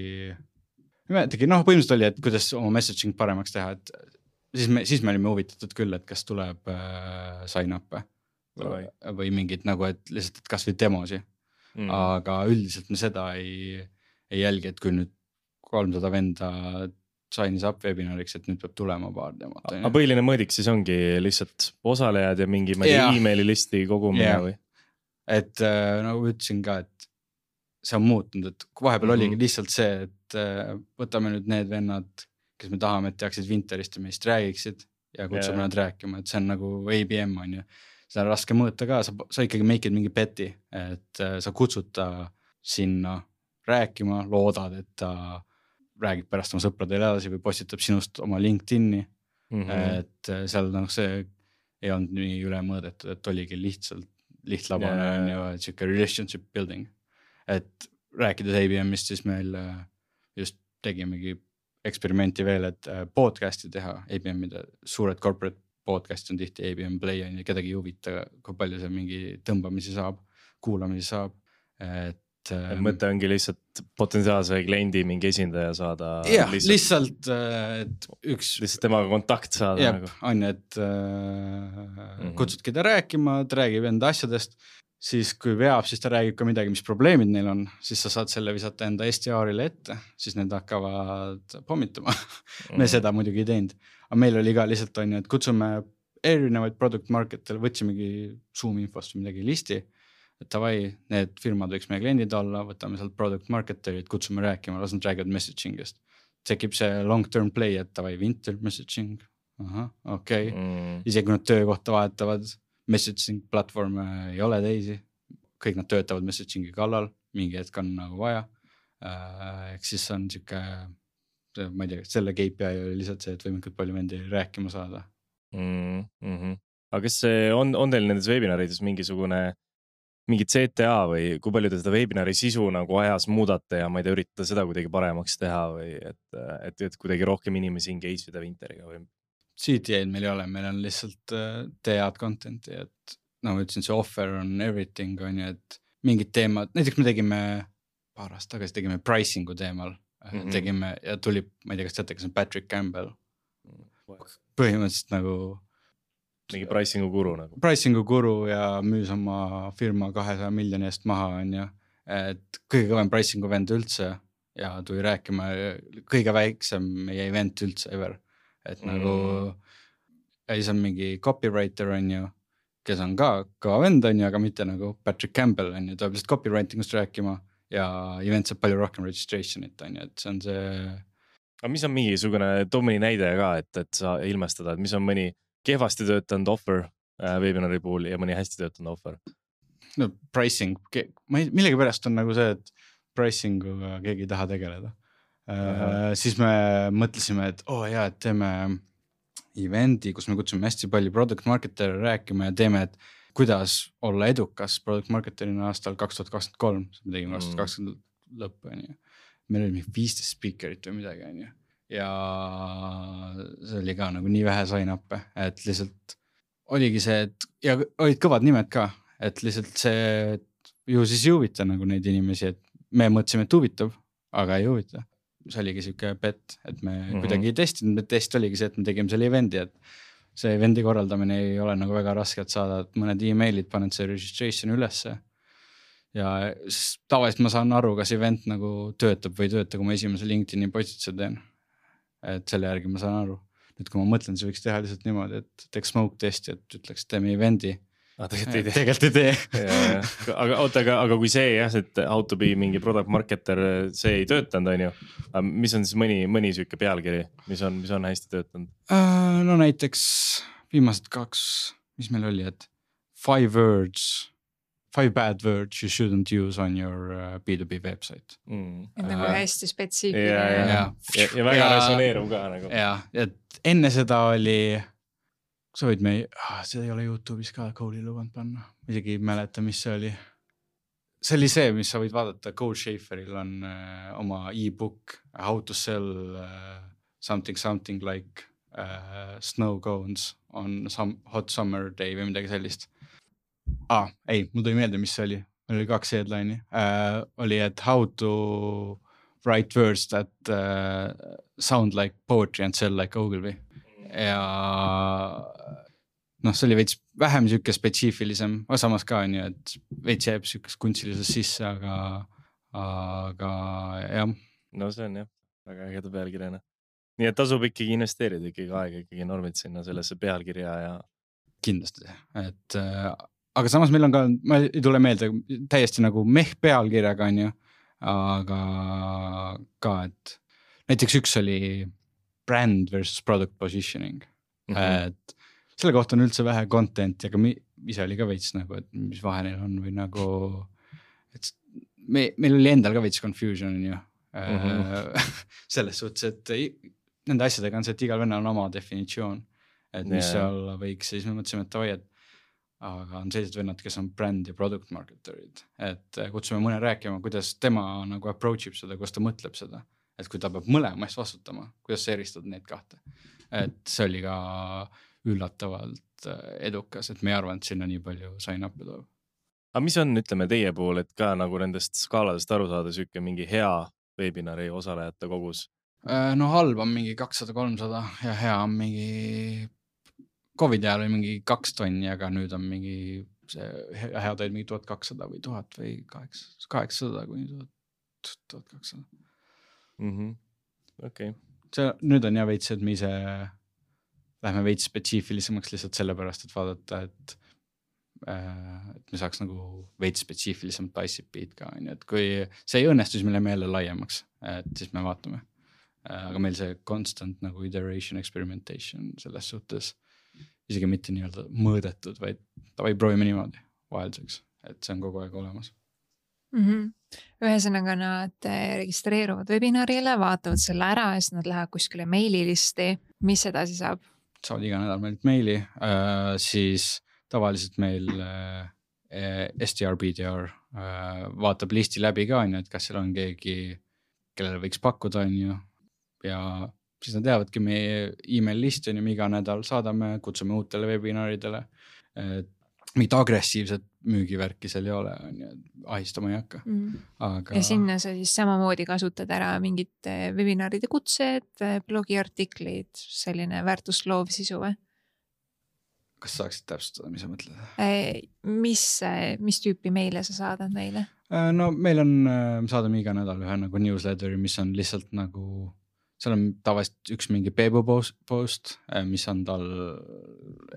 tegi, noh, põhimõtteliselt oli, et kuidas oma messaging paremaks teha, et siis me, siis me olime huvitatud küll, et kas tuleb äh, sign up või, või mingid nagu, et lihtsalt, et kas või demosi. Mm. Aga üldiselt me seda ei, ei jälgi, et kui nüüd kolmsada venda signis up webinariks, et nüüd peab tulema paar demot. Aga põhiline mõõdik siis ongi lihtsalt osalejad ja mingi yeah. e-maili listi kogumine yeah. või? Et äh, nagu ütlesin ka, et see on muutunud, et vahepeal mm-hmm. oligi lihtsalt see, et äh, võtame nüüd need vennad, kes me tahame, et teaksid Winterist ja meist räägiksid ja kutsume yeah. nad rääkima, et see on nagu A B M on ju. Seda on raske mõõta ka, sa, sa ikkagi make'id mingi peti, et äh, sa kutsud ta sinna rääkima, loodad, et ta räägib pärast oma sõpradele edasi või postitab sinust oma LinkedIni, mm-hmm. et seal noh, see ei olnud nii üle mõõdetud, et oligi lihtsalt lihtlabane yeah. on ju, et siuke relationship building. Et rääkides A B M-ist, siis meil just tegimegi eksperimenti veel, et podcasti teha A B M-ide, suured corporate podcast on tihti A B M Play ja kedagi ei huvita, kui palju see mingi tõmbamisi saab, kuulamisi saab, et mõte ongi lihtsalt potentsiaalse kliendi mingi esindaja saada. Jah, lihtsalt, et üks... Lihtsalt temaga kontakt saada. Jah, nagu. On, et äh, mm-hmm. kutsudki ta rääkima, ta räägib enda asjadest, siis kui veab, siis ta räägib ka midagi, mis probleemid neil on, siis sa saad selle visata enda S D R-ile ette, siis need hakkavad pommitama. Mm-hmm. Me seda muidugi ei teinud. Aga meil oli ka lihtsalt on, et kutsume erinevaid product market'ele, võtsimegi Zoom infost või midagi listi, et tavai, need firmad võiks meie kliendid olla, võtame sealt product marketerid, kutsume rääkima, las nad räägivad messagingist. Tekib see long term play, et tavai, Winter messaging, aha, okei okay. mm. Isegi kui nad töökohta vahetavad, messaging platvorme ei ole teisi, kõik nad töötavad messagingi kallal, mingi hetk on nagu vaja, ehk siis on siuke, ma ei tea, selle K P I oli lihtsalt see, et võimalikult palju vendi rääkima saada. Mm -hmm. Aga kas see on, on teil nendes webinarides mingisugune mingid C T A või kui palju te seda webinari sisu nagu ajas muudate ja ma ei tea, üritada seda kuidagi paremaks teha või et, et, et kuidagi rohkem inimesi engage vida Winteriga või? C T A-d meil ei ole, meil on lihtsalt uh, tead content'i, et nagu no, ütlesin, see offer on everything on ju, et mingid teemad, näiteks me tegime paar aastat tagasi tegime pricing'u teemal, mm-hmm. tegime ja tuli, ma ei tea, kas teate, kas on Patrick Campbell. Põhimõtteliselt nagu mingi pricing'u guru nagu. Pricing'u guru ja müüs oma firma kahesaja miljoni eest maha on ju, et kõige kõvem pricing'u vend üldse ja tuli rääkima kõige väiksem meie event üldse ever, et mm. nagu ja siis on mingi copywriter on ju, kes on ka kõva vend on ju, aga mitte nagu Patrick Campbell on ju, tuleb lihtsalt copywritingust rääkima ja event saab palju rohkem registration'it on ju, et see on see. Aga mis on mingisugune, too mõni näide ka, et, et sa ilmestada, et mis on mõni kehvasti töötanud offer äh, webinari puhul ja mõni hästi töötanud offer? No pricing, ma ei, millegi pärast on nagu see, et pricing'uga keegi ei taha tegeleda. Uh, siis me mõtlesime, et oo oh, jaa, et teeme eventi, kus me kutsume hästi palju product marketere rääkima ja teeme, et kuidas olla edukas product marketerina aastal kaks tuhat kakskümmend kolm, me tegime aastal kakskümmend lõppu, on ju. Meil oli mingi viisteist speakerit või midagi, on ju. Ja see oli ka nagu nii vähe sign-up'e, et lihtsalt oligi see, et ja olid kõvad nimed ka, et lihtsalt see ju siis ei huvita nagu neid inimesi, et me mõtlesime, et huvitab, aga ei huvita. See oligi siuke bet, et me mm-hmm. kuidagi ei testinud, me test oligi see, et me tegime selle eventi, et see eventi korraldamine ei ole nagu väga raske, et saada, et mõned emailid paned see registration ülesse. Ja tavaliselt ma saan aru, kas event nagu töötab või ei tööta, kui ma esimese LinkedIni postituse teen. Et selle järgi ma saan aru. Nüüd kui ma mõtlen, see võiks teha lihtsalt niimoodi, et teeks smoke testi, et ütleks, teeme eventi. Ah, tegelikult ei tee. Tegelikult ei tee. ja, ja. Aga, oota, aga, aga kui see jah, et how to be mingi product marketer, see ei töötanud, on ju. Mis on siis mõni, mõni süüke pealkiri, mis on, mis on hästi töötanud? Uh, no näiteks viimased kaks, mis meil oli, et five words, five bad words you shouldn't use on your B two B website. Mm. Et nagu uh, hästi spetsiifiline. Ja, ja, ja. Ja, ja väga ja, resoneeruv ka nagu. Ja, et enne seda oli... sa võid me, ah, see ei ole YouTube'is ka Cole'i lubanud panna. Isegi ei mäleta, mis see oli. See oli see, mis sa võid vaadata. Cole Schaeferil on uh, oma e-book How to sell uh, something, something like uh, snow cones on some hot summer day või midagi sellist. Ah, ei, mul tuli meelde, mis see oli. Meil oli kaks headline'i. Uh, oli, et how to write words that uh, sound like poetry and sell like Ogilvy. Ja noh, see oli veits vähem siuke spetsiifilisem, aga samas ka on ju, et veits jääb siukest kunstilises sisse, aga, aga jah. No see on jah, väga ägeda pealkirjana. Nii et tasub ikkagi investeerida ikkagi aega ikkagi normid sinna sellesse pealkirja ja... Kindlasti, et aga samas meil on ka, ma ei tule meelde täiesti nagu meh pealkirjaga on ju, aga ka, et näiteks üks oli brand versus product positioning. Mm-hmm. Et selle kohta on üldse vähe content ja ka mi, ise oli ka veits nagu, et mis vahe neil on või nagu, et me, meil oli endal ka veits confusion on ju. Mm-hmm. Selles suhtes, et nende asjadega on see, et igal venna on oma definitsioon, et mis yeah. olla võiks, siis me mõtlesime, et tavai, et aga on sellised vennad, kes on brand ja product marketerid, et kutsume mõne rääkima, kuidas tema nagu approach ib seda, kuidas ta mõtleb seda. Et kui ta peab mõlema eest vastutama, kuidas sa eristad need kahte. Et see oli ka üllatavalt edukas, et me ei arva, et sinna nii palju sign-up'i toob. Aga mis on, ütleme, teie pool, et ka nagu nendest skaaladest aru saada süke mingi hea webinari osalejate kogus? No halb on mingi kakssada kolmsada ja hea on mingi Covid ajal oli mingi kaks tonni, aga nüüd on mingi see hea toid mingi tuhat kakssada või tuhat või kaheksasada kuni tuhat kakssada. Mm-hmm. Okay. See, nüüd on ja veits, et me ise lähme veits spetsiifilisemaks lihtsalt sellepärast, et vaadata, et, äh, et me saaks nagu veits spetsiifilisemat I C P-d ka. Et kui see ei õnnestu, siis me läheme jälle laiemaks, et siis me vaatame. Äh, aga meil see constant nagu iteration, experimentation selles suhtes isegi mitte nii-öelda mõõdetud, vaid ta või proovime niimoodi vahelduseks, et see on kogu aeg olemas. Mm-hmm. Ühesõnaga nad registreeruvad webinarile, vaatavad selle ära ja siis nad lähevad kuskile meililisti. Mis edasi saab? Saavad iga nädal meilt meili, äh, siis tavaliselt meil äh, S D R, B D R äh, vaatab listi läbi ka, on ju, et kas seal on keegi, kellele võiks pakkuda, on ju, ja siis nad teavadki meie email listi, on ju, iga nädal saadame, kutsume uutele webinaridele, et mingit agressiivset müügivärki seal ei ole, on ju, ahistama ei hakka. Mm. Aga... Ja sinna sa siis samamoodi kasutad ära mingid webinaride kutsed, blogiartiklid, selline väärtusloov sisu või? Kas saaksid täpsustada, mis sa mõtled? Mis, mis tüüpi meile sa saadad meile? No meil on, saadame iga nädal ühe nagu newsletteri, mis on lihtsalt nagu... Seal on tavaliselt üks mingi Peebu post, mis on tal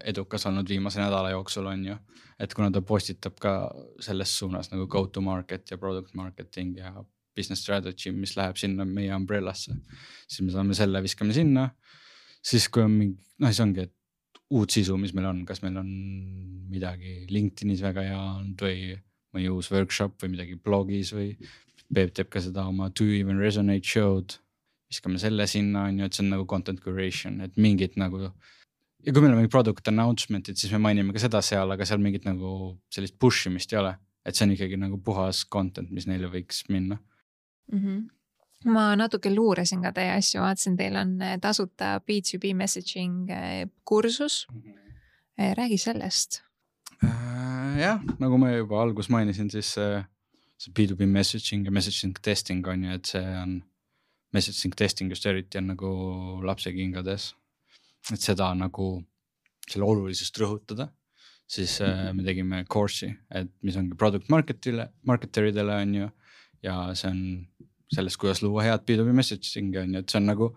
edukas olnud viimase nädala jooksul on ju. Et kuna ta postitab ka selles suunas nagu go to market ja product marketing ja business strategy, mis läheb sinna meie umbrellasse, siis me saame selle viskame sinna. Siis kui on mingi, noh siis ongi, et uut sisu, mis meil on, kas meil on midagi LinkedInis väga hea olnud või mõni uus workshop või midagi blogis või Peep teeb ka seda oma Do You Even Resonate show'd. Viskame selle sinna, on ju, et see on nagu content curation, et mingid nagu ja kui meil on mingi product announcement'id, siis me mainime ka seda seal, aga seal mingit nagu sellist push imist ei ole, et see on ikkagi nagu puhas content, mis neile võiks minna. Mm-hmm. Ma natuke luuresin ka teie asju, vaatasin, teil on tasuta B two B messaging kursus. Räägi sellest. Äh, jah, nagu ma juba algus mainisin, siis see B two B messaging ja messaging testing on ju, et see on messaging testing just eriti on nagu lapse kingades, et seda nagu selle olulisust rõhutada, siis me tegime course'i, et mis ongi product marketile, marketeridele on ju, ja see on sellest, kuidas luua head B two B messaging on ju, et see on nagu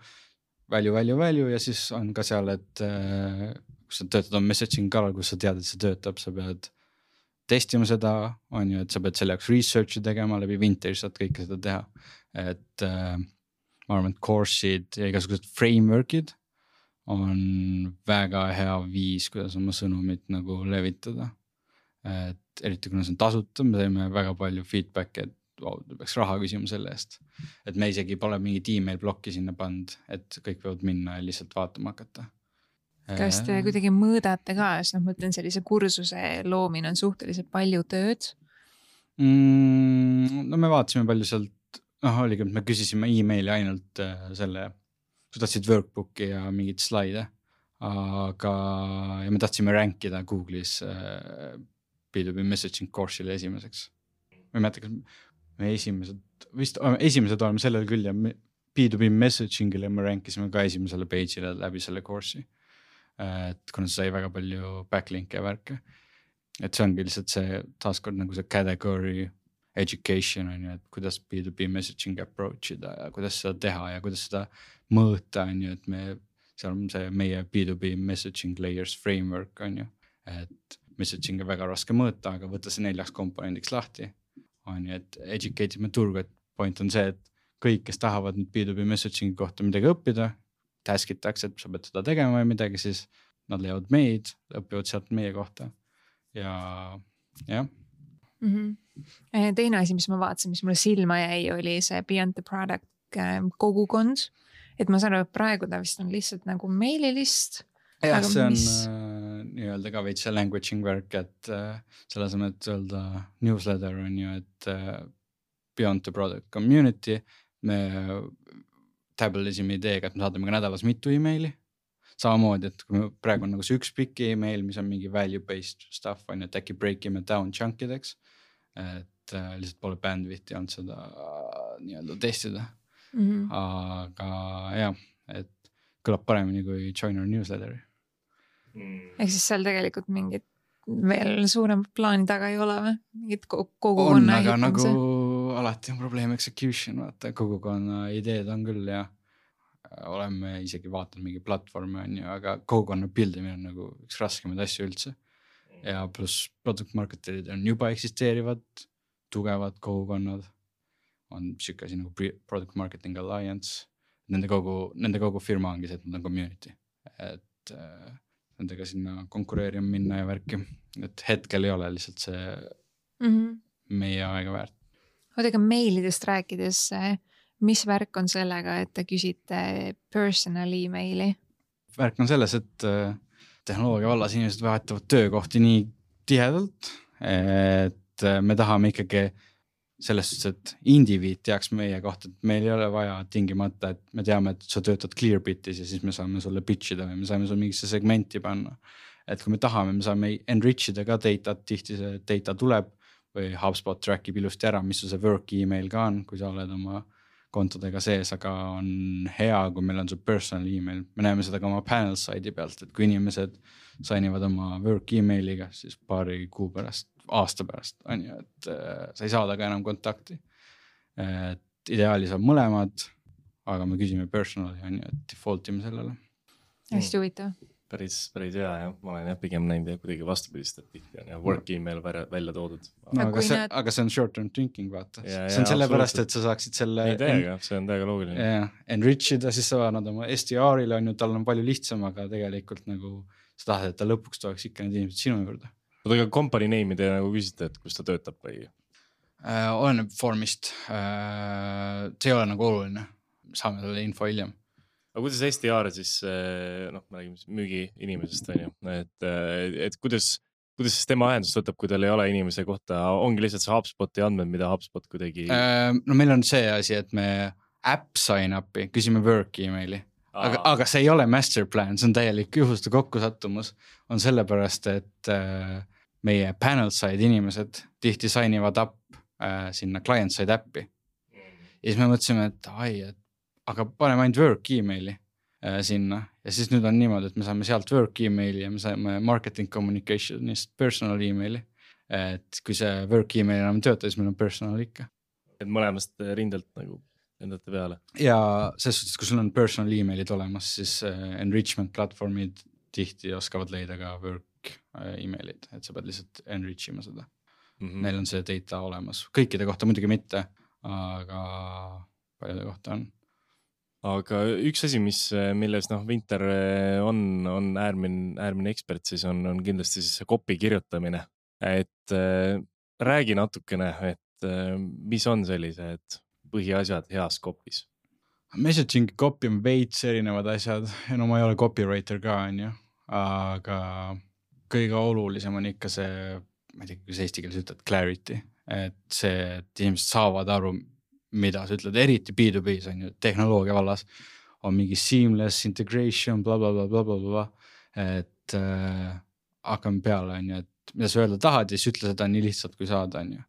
value, value, value ja siis on ka seal, et äh, kus sa töötad on messaging kallal, kus sa tead, et see töötab, sa pead testima seda, on ju, et sa pead selle jaoks research'i tegema, läbi Vintage saad kõike seda teha, et äh, ma arvan, et course'id ja igasugused framework'id on väga hea viis, kuidas oma sõnumit nagu levitada, et eriti kuna see on tasuta, me teeme väga palju feedback'i, et wow, peaks raha küsima selle eest, et me isegi pole mingit email blokki sinna pand, et kõik võivad minna ja lihtsalt vaatama hakata. Kas te kuidagi mõõdate ka, sest noh, mõtlen sellise kursuse loomine on suhteliselt palju tööd? Mm, no me vaatasime palju sealt, noh oligi, me küsisime emaili ainult selle, kui tahtsid workbooki ja mingid slaide, aga ja me tahtsime rankida Google'is B two B messaging course'ile esimeseks. Ma ei mäleta, kas me esimesed, vist esimesed oleme sellel küll ja B two B messaging'ile me rankisime ka esimesele page'ile läbi selle course'i. Et kuna see sai väga palju backlink'e ja värke. Et see ongi lihtsalt see taaskord nagu see category education on ju, et kuidas B two B messaging approach ida ja kuidas seda teha ja kuidas seda mõõta on ju, et me, seal on see meie B two B messaging layers framework on ju, et messaging on väga raske mõõta, aga võtta see neljaks komponendiks lahti on ju, et educate ime turgu, et point on see, et kõik, kes tahavad nüüd B two B messaging kohta midagi õppida, taskitakse, et sa pead seda tegema või midagi, siis nad leiavad meid, õpivad sealt meie kohta ja jah. Mm-hmm. Teine asi, mis ma vaatasin, mis mulle silma jäi, oli see Beyond the Product kogukond, et ma saan aru, et praegu ta vist on lihtsalt nagu meililist. jah, see on mis... äh, nii-öelda ka veits see languaging work, et äh, selle asemel, et öelda newsletter on ju, et äh, Beyond the Product community, me tablelisime ideega, et me saadame ka nädalas mitu emaili. Samamoodi, et kui me praegu on nagu see üks pikk email, mis on mingi value-based stuff, on, et äkki breakime down chunkideks, et äh, lihtsalt pole bandwidth'i olnud seda äh, nii-öelda testida. Mm-hmm. Aga jah, et kõlab paremini kui join our newsletteri. Mm. Ehk siis seal tegelikult mingit veel suurem plaani taga ei ole või? Mingit kogukonna on, aga nagu alati on probleem execution, vaata kogukonna ideed on küll ja oleme isegi vaatanud mingi platvormi on ju, aga kogukonna buildimine on nagu üks raskemaid asju üldse ja pluss product marketerid on juba eksisteerivad tugevad kogukonnad, on siuke asi nagu Product Marketing Alliance, nende kogu, nende kogu firma ongi see, et nad on community, et äh, nendega sinna konkureerima minna ja värki, et hetkel ei ole lihtsalt see mm-hmm. meie aega väärt. Oodega meilidest rääkides, mis värk on sellega, et te küsite personal emaili? Värk on selles, et tehnoloogia vallas inimesed vahetavad töökohti nii tihedalt, et me tahame ikkagi selles suhtes, et indiviid teaks meie kohta, et meil ei ole vaja tingimata, et me teame, et sa töötad Clearbitis ja siis me saame sulle pitchida või me saame sulle mingisse segmenti panna. Et kui me tahame, me saame enrichida ka data, tihti see data tuleb või HubSpot trackib ilusti ära, mis see work email ka on, kui sa oled oma kontodega sees, aga on hea, kui meil on su personal email. Me näeme seda ka oma panel side'i pealt, et kui inimesed sainivad oma work emailiga, siis paari kuu pärast, aasta pärast on ju, et äh, sa ei saada ka enam kontakti. Et ideaali saab mõlemad, aga me küsime personali on ju, et default ime sellele. Hästi huvitav. Päris, päris hea, jah. Ma olen jah pigem näinud ja kuidagi vastupidist, et tihti on ja work email välja toodud. No, aga, see, näed... aga see on short term thinking, vaata. Ja, see on selle pärast, et sa saaksid selle... Ei täiega, en... see on täiega loogiline. Yeah, enrichida, siis sa annad oma S D R-ile, on ju, tal on palju lihtsam, aga tegelikult nagu sa tahad, et ta lõpuks toeks ikka need inimesed sinu juurde. Oota, aga company name'i te nagu küsite, et kus ta töötab või? Äh, oleneb formist. Äh, see ei ole nagu oluline. Saame selle info hiljem. aga kuidas S D R siis, noh, me räägime müügi inimesest, on ju, et, et kuidas, kuidas siis tema ahendust võtab, kui tal ei ole inimese kohta, ongi lihtsalt see HubSpoti andmed, mida HubSpot kuidagi... No meil on see asi, et me app sign up'i, küsime work emaili, aga, aga see ei ole master plan, see on täielik juhuste kokkusattumus, on sellepärast, et meie panel side inimesed tihti signivad up sinna client side appi. Ja siis me mõtlesime, et ai, et aga paneme ainult work emaili äh, sinna ja siis nüüd on niimoodi, et me saame sealt work emaili ja me saame marketing communicationist personal emaili. Et kui see work email enam tööta, siis meil on personal ikka. Et mõlemast rindelt nagu endate peale. Ja selles suhtes, kui sul on personal emailid olemas, siis äh, enrichment platvormid tihti oskavad leida ka work äh, emailid, et sa pead lihtsalt enrich ima seda. Mm-hmm. Neil on see data olemas. Kõikide kohta muidugi mitte, aga paljude kohta on. Aga üks asi, mis, milles noh, Winter on, on äärmine, äärmine ekspert, siis on, on kindlasti siis see copy kirjutamine. Et äh, räägi natukene, et äh, mis on sellised põhiasjad heas copys? Messaging copy on veits erinevad asjad. Ja no ma ei ole copywriter ka, on ju. Aga kõige olulisem on ikka see, ma ei tea, kus eesti keeles ütled, clarity. Et see, et inimesed saavad aru, mida sa ütled, eriti B two B-s on ju, tehnoloogia vallas on mingi seamless integration, bla, bla, bla, bla, bla, bla. Et äh, hakkame peale, on ju, et mida sa öelda tahad ja siis ütle seda nii lihtsalt, kui saada, on ju.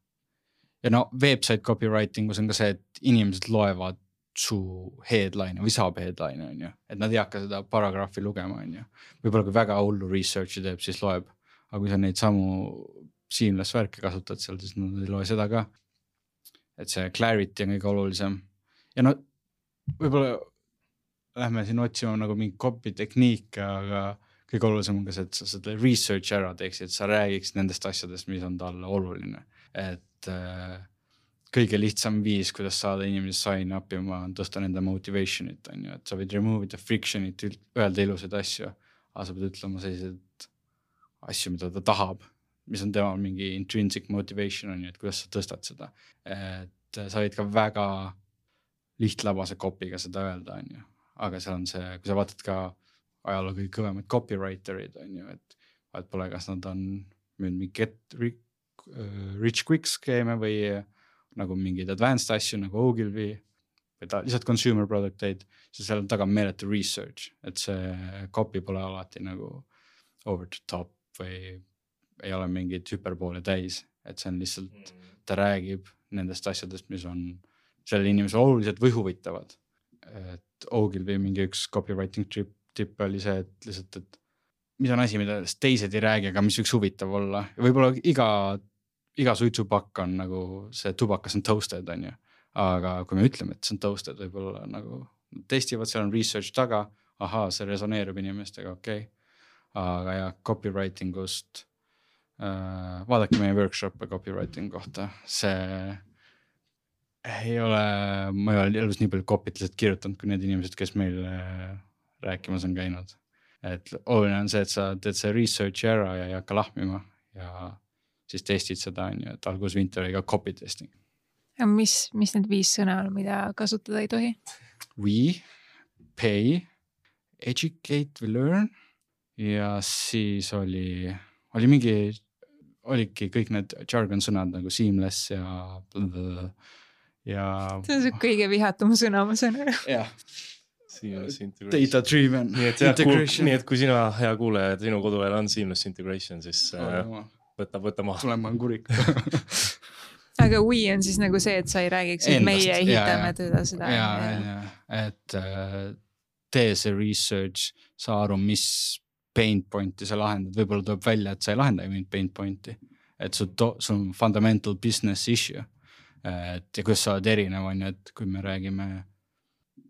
Ja no, website copywritingus on ka see, et inimesed loevad su headline või saab headline, on ju. Et nad ei hakka seda paragraafi lugema, on ju. Võib-olla kui väga hullu researchi teeb, siis loeb. Aga kui sa neid samu seamless värke kasutad seal, siis nad ei loe seda ka. Et see clarity on kõige olulisem. Ja no, võib-olla lähme siin otsima nagu mingi copy tehniike, aga kõige olulisem on ka see, et sa seda research ära teeksid, et sa räägiksid nendest asjadest, mis on talle oluline. Et äh, kõige lihtsam viis, kuidas saada inimesi sign up ima, on tõsta nende motivationit, on ju. Et sa võid remove the frictionit, öelda ilusaid asju, aga sa pead ütlema sellised asju, mida ta tahab, mis on tema mingi intrinsic motivation on ju, et kuidas sa tõstad seda. Et sa võid ka väga lihtlabase kopiga seda öelda, on ju. Aga seal on see, kui sa vaatad ka ajaloo kõige kõvemad copywriterid, on ju, et vaat pole, kas nad on müünud mingi get rich quick skeeme või nagu mingid advanced asju nagu Ogilvy või ta lihtsalt consumer producteid, siis seal on taga meeletu research, et see copy pole alati nagu over the top või ei ole mingid hüperboole täis, et see on lihtsalt, ta räägib nendest asjadest, mis on selle inimese oluliselt või huvitavad. Et Ogilvy mingi üks copywriting trip, tipp oli see, et lihtsalt, et mis on asi, mida teised ei räägi, aga mis võiks huvitav olla. Ja võib-olla iga, iga suitsupakk on nagu see tubakas on toasted, on ju. Aga kui me ütleme, et see on toasted, võib-olla nagu testivad, seal on research taga, ahaa, see resoneerub inimestega, okei. Okay. Aga ja copywritingust Uh, vaadake meie workshop'e copywriting kohta, see ei ole, ma ei ole elus nii palju copy't lihtsalt kirjutanud, kui need inimesed, kes meil rääkimas on käinud. Et oluline on see, et sa teed see research ära ja ei hakka lahmima ja siis testid seda, on ju, et algus Winter oli ka copy testing. Ja mis, mis need viis sõna on, mida kasutada ei tohi? We, pay, educate või learn ja siis oli, oli mingi oligi kõik need jargon sõnad nagu seamless ja ja see on see kõige vihatum sõna, ma saan ära. Jah. Seamless integration. Data driven nii et, integration. Kuul, nii et kui sina, hea kuuleja, sinu koduvahel on seamless integration, siis äh, võta, võta maha. Tulema on kurik. Aga we on siis nagu see, et sa ei räägiks, et meie ehitame teda seda. Ja, ja, et äh, tee see research, sa aru, mis pain pointi sa lahendad, võib-olla tuleb välja, et sa ei lahenda mingit pain pointi, et sul on fundamental business issue, et ja kuidas sa oled erinev, on ju, et kui me räägime,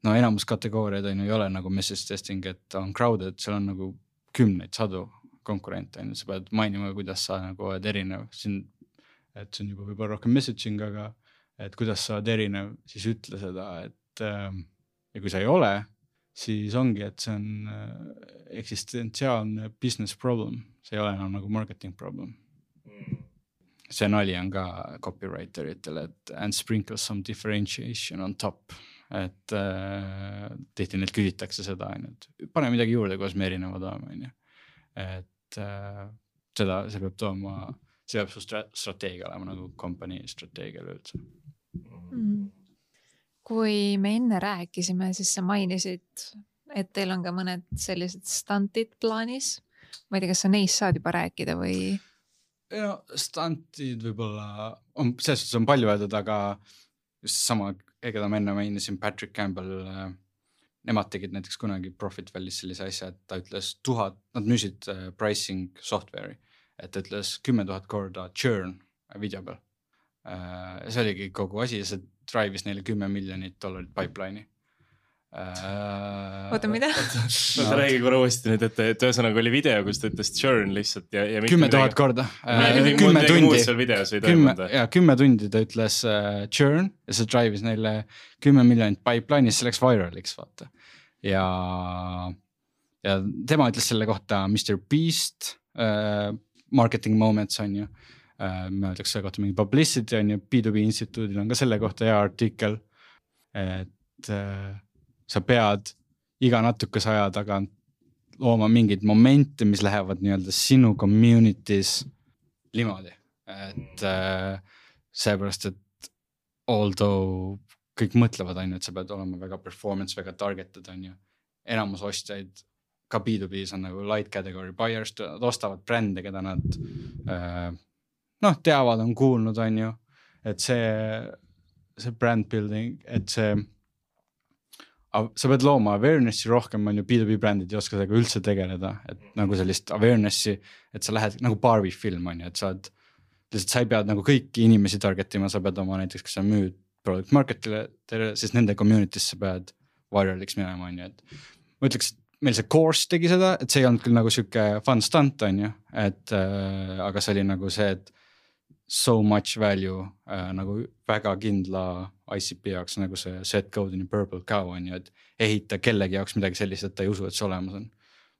no enamus kategooriad on ju, ei ole nagu message testing, et on crowded, seal on nagu kümneid sadu konkurente, on ju, sa pead mainima, kuidas sa nagu oled erinev, siin, et see on juba võib-olla rohkem messaging, aga et kuidas sa oled erinev, siis ütle seda, et ja kui sa ei ole, siis ongi, et see on eksistentsiaalne business problem. See ei ole enam nagu marketing problem. See nali on ka copywriteritele, et and sprinkle some differentiation on top. et äh, tihti neilt küsitakse seda, et pane midagi juurde, kuidas me erinevad oleme. Et äh, seda, see peab tooma, see peab su strateegia olema nagu kompanii strateegial üldse. Mm. Kui me enne rääkisime, siis sa mainisid, et teil on ka mõned sellised stantid plaanis. Ma ei tea, kas sa neist saad juba rääkida või? No, stantid võib-olla on, selles suhtes on palju öeldud, aga just sama, keda ma enne mainisin, Patrick Campbell, nemad tegid näiteks kunagi Profit Valley's sellise asja, et ta ütles tuhat, nad müüsid pricing software'i, et ta ütles kümme tuhat korda churn video peal. See oligi kogu asi ja see drive'is neile kümme miljonit dollarit pipeline'i. Oota, mida? Oota, räägi korra uuesti nüüd, et, et ühesõnaga oli video, kus ta ütles churn lihtsalt ja, ja kümme tuhat korda. kümme tundi. Kümme, ja, kümme tundi ta ütles uh, churn ja see drive'is neile kümme miljonit pipeline'is, see läks viraliks, vaata. Ja, ja tema ütles selle kohta mister Beast uh, marketing moments on ju. Uh, me öeldaks selle kohta mingi publicity on ju, B two B instituudil on ka selle kohta hea artikkel, et uh, sa pead iga natukese aja tagant looma mingid momente, mis lähevad nii-öelda sinu communities niimoodi. Et äh, seepärast, et although kõik mõtlevad on ju, et sa pead olema väga performance, väga targeted on ju. Enamus ostjaid ka B two B's on nagu light category buyers, nad ostavad brände, keda nad äh, noh, teavad, on kuulnud on ju. Et see, see brand building, et see sa pead looma awarenessi rohkem, on ju B two B brändid ei oska sellega üldse tegeleda, et nagu sellist awarenessi, et sa lähed nagu Barbie film on ju, et sa oled, lihtsalt sa ei pead nagu kõiki inimesi targetima, sa pead oma näiteks, kas sa müüd product marketile, siis nende community's sa pead viraliks minema on ju, et ma ütleks, et meil see course tegi seda, et see ei olnud küll nagu siuke fun stunt on ju, et äh, aga see oli nagu see, et so much value äh, nagu väga kindla I C P jaoks nagu see set code in purple cow on ju, et ehita kellegi jaoks midagi sellist, et ta ei usu, et see olemas on.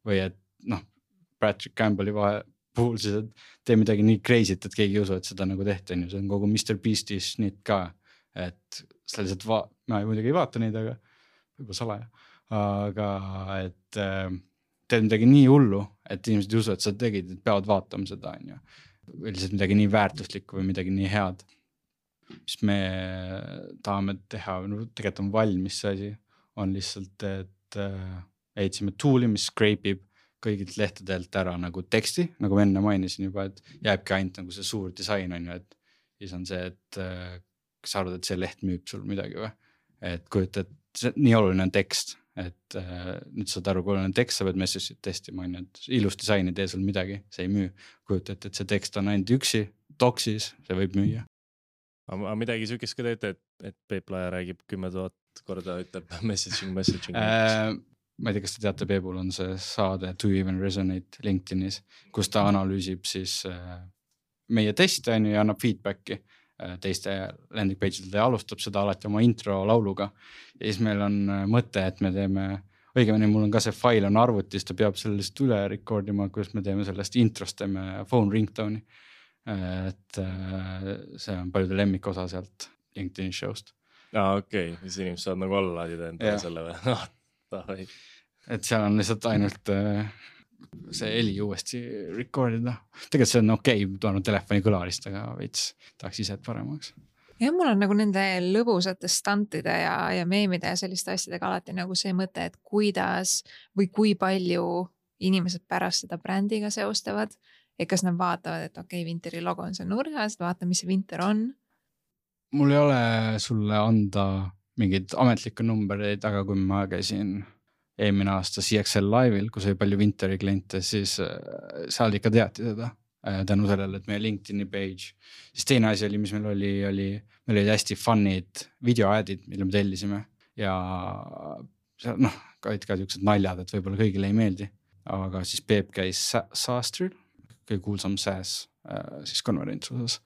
Või et noh, Patrick Campbelli vahe puhul siis, et tee midagi nii crazy't, et keegi ei usu, et seda nagu tehti on ju, see on kogu mister Beast'is nüüd ka, et sa lihtsalt va-, ma muidugi ei vaata neid, aga võib-olla salaja, aga et äh, teed midagi nii hullu, et inimesed ei usu, et sa tegid, et peavad vaatama seda on ju. Või lihtsalt midagi nii väärtuslikku või midagi nii head, mis me tahame teha, no tegelikult on valmis see asi, on lihtsalt, et äh, ehitsime tool'i, mis scrape'ib kõigilt lehtedelt ära nagu teksti, nagu enne mainisin juba, et jääbki ainult nagu see suur disain on ju, et siis on see, et äh, kas sa arvad, et see leht müüb sul midagi või? Et kujuta, et see, nii oluline on tekst, et äh, nüüd saad aru, kui oluline on tekst, sa pead message'it testima, on ju, et ilus disain ei tee sul midagi, see ei müü. Kujuta, et, et see tekst on ainult üksi, doksis, see võib müüa. Aga midagi sükest ka teete, et, et Peep Laia räägib kümme tuhat korda, ütleb messaging, messaging. Äh, ma ei tea, kas te teate, Peebul on see saade Do You Even Resonate LinkedInis, kus ta analüüsib siis äh, meie teste on ju ja annab feedbacki äh, teiste landing page'il ja alustab seda alati oma intro lauluga. Ja siis meil on äh, mõte, et me teeme, õigemini mul on ka see fail on arvutis, ta peab sellest üle rekordima, kus me teeme sellest introst, teeme phone ringtone'i. Et see on paljude lemmik osa sealt LinkedIn show'st. Aa, okei, okay. Siis inimesed saavad nagu alla laadida enda selle või? Et seal on lihtsalt ainult see heli uuesti recordida. Tegelikult see on okei, okay, tuonud telefoni kõlarist, aga veits tahaks ise paremaks. Ja mul on nagu nende lõbusate stantide ja, ja meemide ja selliste asjadega alati nagu see mõte, et kuidas või kui palju inimesed pärast seda brändiga seostavad. Ja kas nad vaatavad, et okei, okay, Winteri logo on see nurgas, vaata, mis see Winter on? Mul ei ole sulle anda mingid ametlikke numbereid, aga kui ma käisin eelmine aasta C X L Live'il, kus oli palju Winteri kliente, siis seal ikka teati seda tänu sellele, et meie LinkedIni page. Siis teine asi oli, mis meil oli, oli meil olid hästi fun'id videoadid, mille me tellisime ja noh, ka olid ka niisugused naljad, et võib-olla kõigile ei meeldi, aga siis Peep käis Saastril, kõige kuulsam SaaS siis konverents osas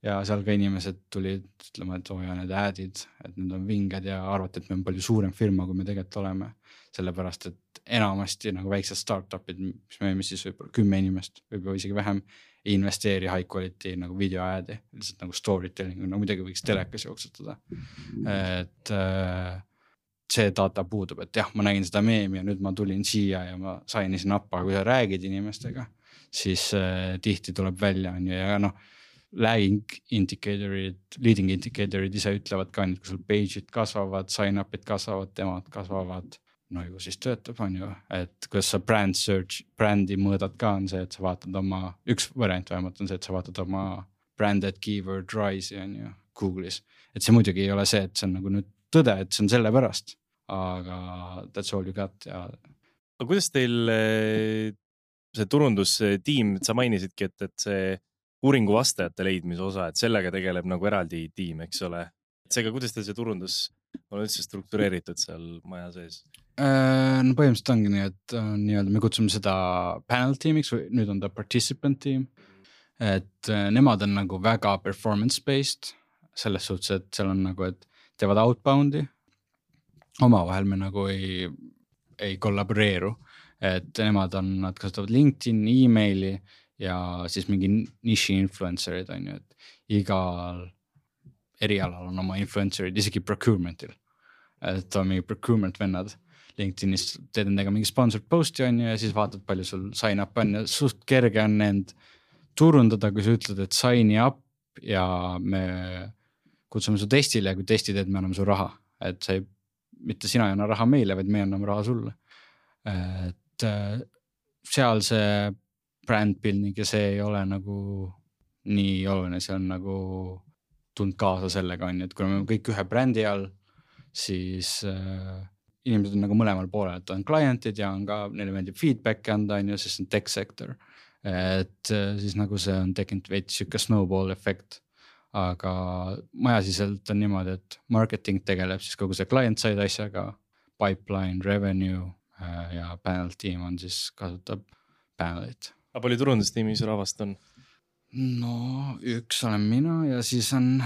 ja seal ka inimesed tulid ütlema, et oo ja need adid, et need on vinged ja arvati, et me on palju suurem firma, kui me tegelikult oleme, sellepärast, et enamasti nagu väiksed startupid, mis me siis võib-olla kümme inimest, võib-olla isegi vähem, ei investeeri high quality nagu video adi, lihtsalt nagu storytelling, no midagi võiks telekas jooksutada. Et see data puudub, et jah, ma nägin seda meemi ja nüüd ma tulin siia ja ma sain isi nappa, kui sa räägid inimestega, siis äh, tihti tuleb välja on ju ja noh, lagging indicatorid, leading indicatorid ise ütlevad ka, et kui sul page'id kasvavad, sign-up'id kasvavad, temad kasvavad, no ju siis töötab on ju, et kuidas sa brand search, brandi mõõdad ka on see, et sa vaatad oma, üks variant vähemalt on see, et sa vaatad oma branded keyword rise'i on ju Google'is, et see muidugi ei ole see, et see on nagu nüüd tõde, et see on selle pärast, aga that's all you got ja. Aga kuidas teil see turundustiim, sa mainisidki, et, et see uuringu vastajate leidmise osa, et sellega tegeleb nagu eraldi tiim, eks ole. Seega, kuidas teil see turundus on üldse struktureeritud seal maja sees? No põhimõtteliselt ongi nii, et nii-öelda me kutsume seda panel tiimiks või nüüd on ta participant tiim, et nemad on nagu väga performance-based selles suhtes, et seal on nagu, et teevad outboundi, omavahel me nagu ei, ei kollaboreeru, et nemad on, nad kasutavad LinkedIn, emaili ja siis mingi niši influencerid on ju, et igal erialal on oma influencerid, isegi procurementil, et on mingi procurement vennad LinkedInis, teed nendega mingi sponsored posti on ju ja siis vaatad, palju sul sign up on ja suht kerge on end turundada, kui sa ütled, et sign up ja me kutsume su testile ja kui testi teed, me anname su raha, et sa ei, mitte sina ei anna raha meile, vaid me anname raha sulle. Et seal see brand building ja see ei ole nagu nii oluline, see on nagu tund kaasa sellega on, et kui me kõik ühe brändi all, siis äh, inimesed on nagu mõlemal poolel, et on klientid ja on ka, neile meeldib feedback anda, on ju, sest on tech sector. Et äh, siis nagu see on tekkinud veits siuke snowball effekt. Aga majasiselt on niimoodi, et marketing tegeleb siis kogu see client side asjaga, pipeline, revenue äh, ja panel team on siis kasutab panelit. Aga palju turundustiimis rahvast on? No üks olen mina ja siis on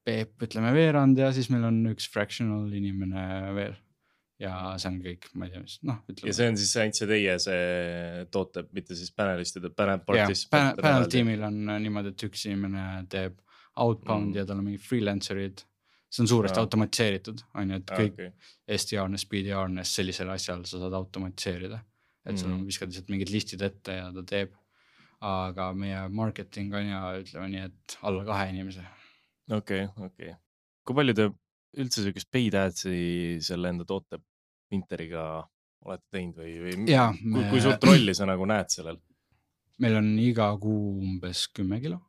Peep, ütleme veerand ja siis meil on üks fractional inimene veel. Ja see on kõik, ma ei tea, mis, noh, ütleme. Ja see on siis ainult see teie see toote, mitte siis panelistide, panel participant. Panel tiimil on niimoodi, et üks inimene teeb outbound mm. ja tal on mingi freelancerid. See on suuresti ah. automatiseeritud, on ju, et kõik ah, okay. S D R-nes, B D R-nes sellisel asjal sa saad automatiseerida. Et sul mm. viskad lihtsalt mingid listid ette ja ta teeb. Aga meie marketing on ja ütleme nii, et alla kahe inimese. Okei, okay, okei. Okay. Kui palju te üldse sellist paid adsi selle enda toote Pinteriga olete teinud või, või ja, kui, me... kui suurt rolli sa nagu näed sellel? Meil on iga kuu umbes kümme kilo.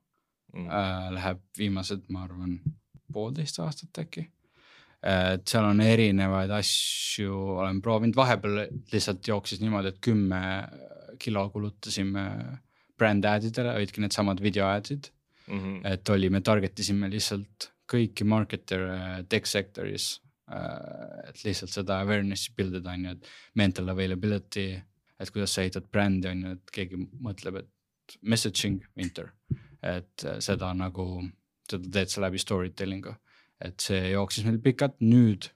Mm. Äh, läheb viimased, ma arvan, poolteist aastat äkki. Et seal on erinevaid asju, olen proovinud, vahepeal lihtsalt jooksis niimoodi, et kümme kilo kulutasime brand adidele, olidki need samad video adid. Mm-hmm. Et oli, me targetisime lihtsalt kõiki marketer tech sectoris, et lihtsalt seda awareness'i buildida on ju, et mental availability, et kuidas sa ehitad brändi on ju, et keegi mõtleb, et messaging, winter, et seda nagu, seda teed sa läbi storytellingu, et see jooksis meil pikalt nüüd,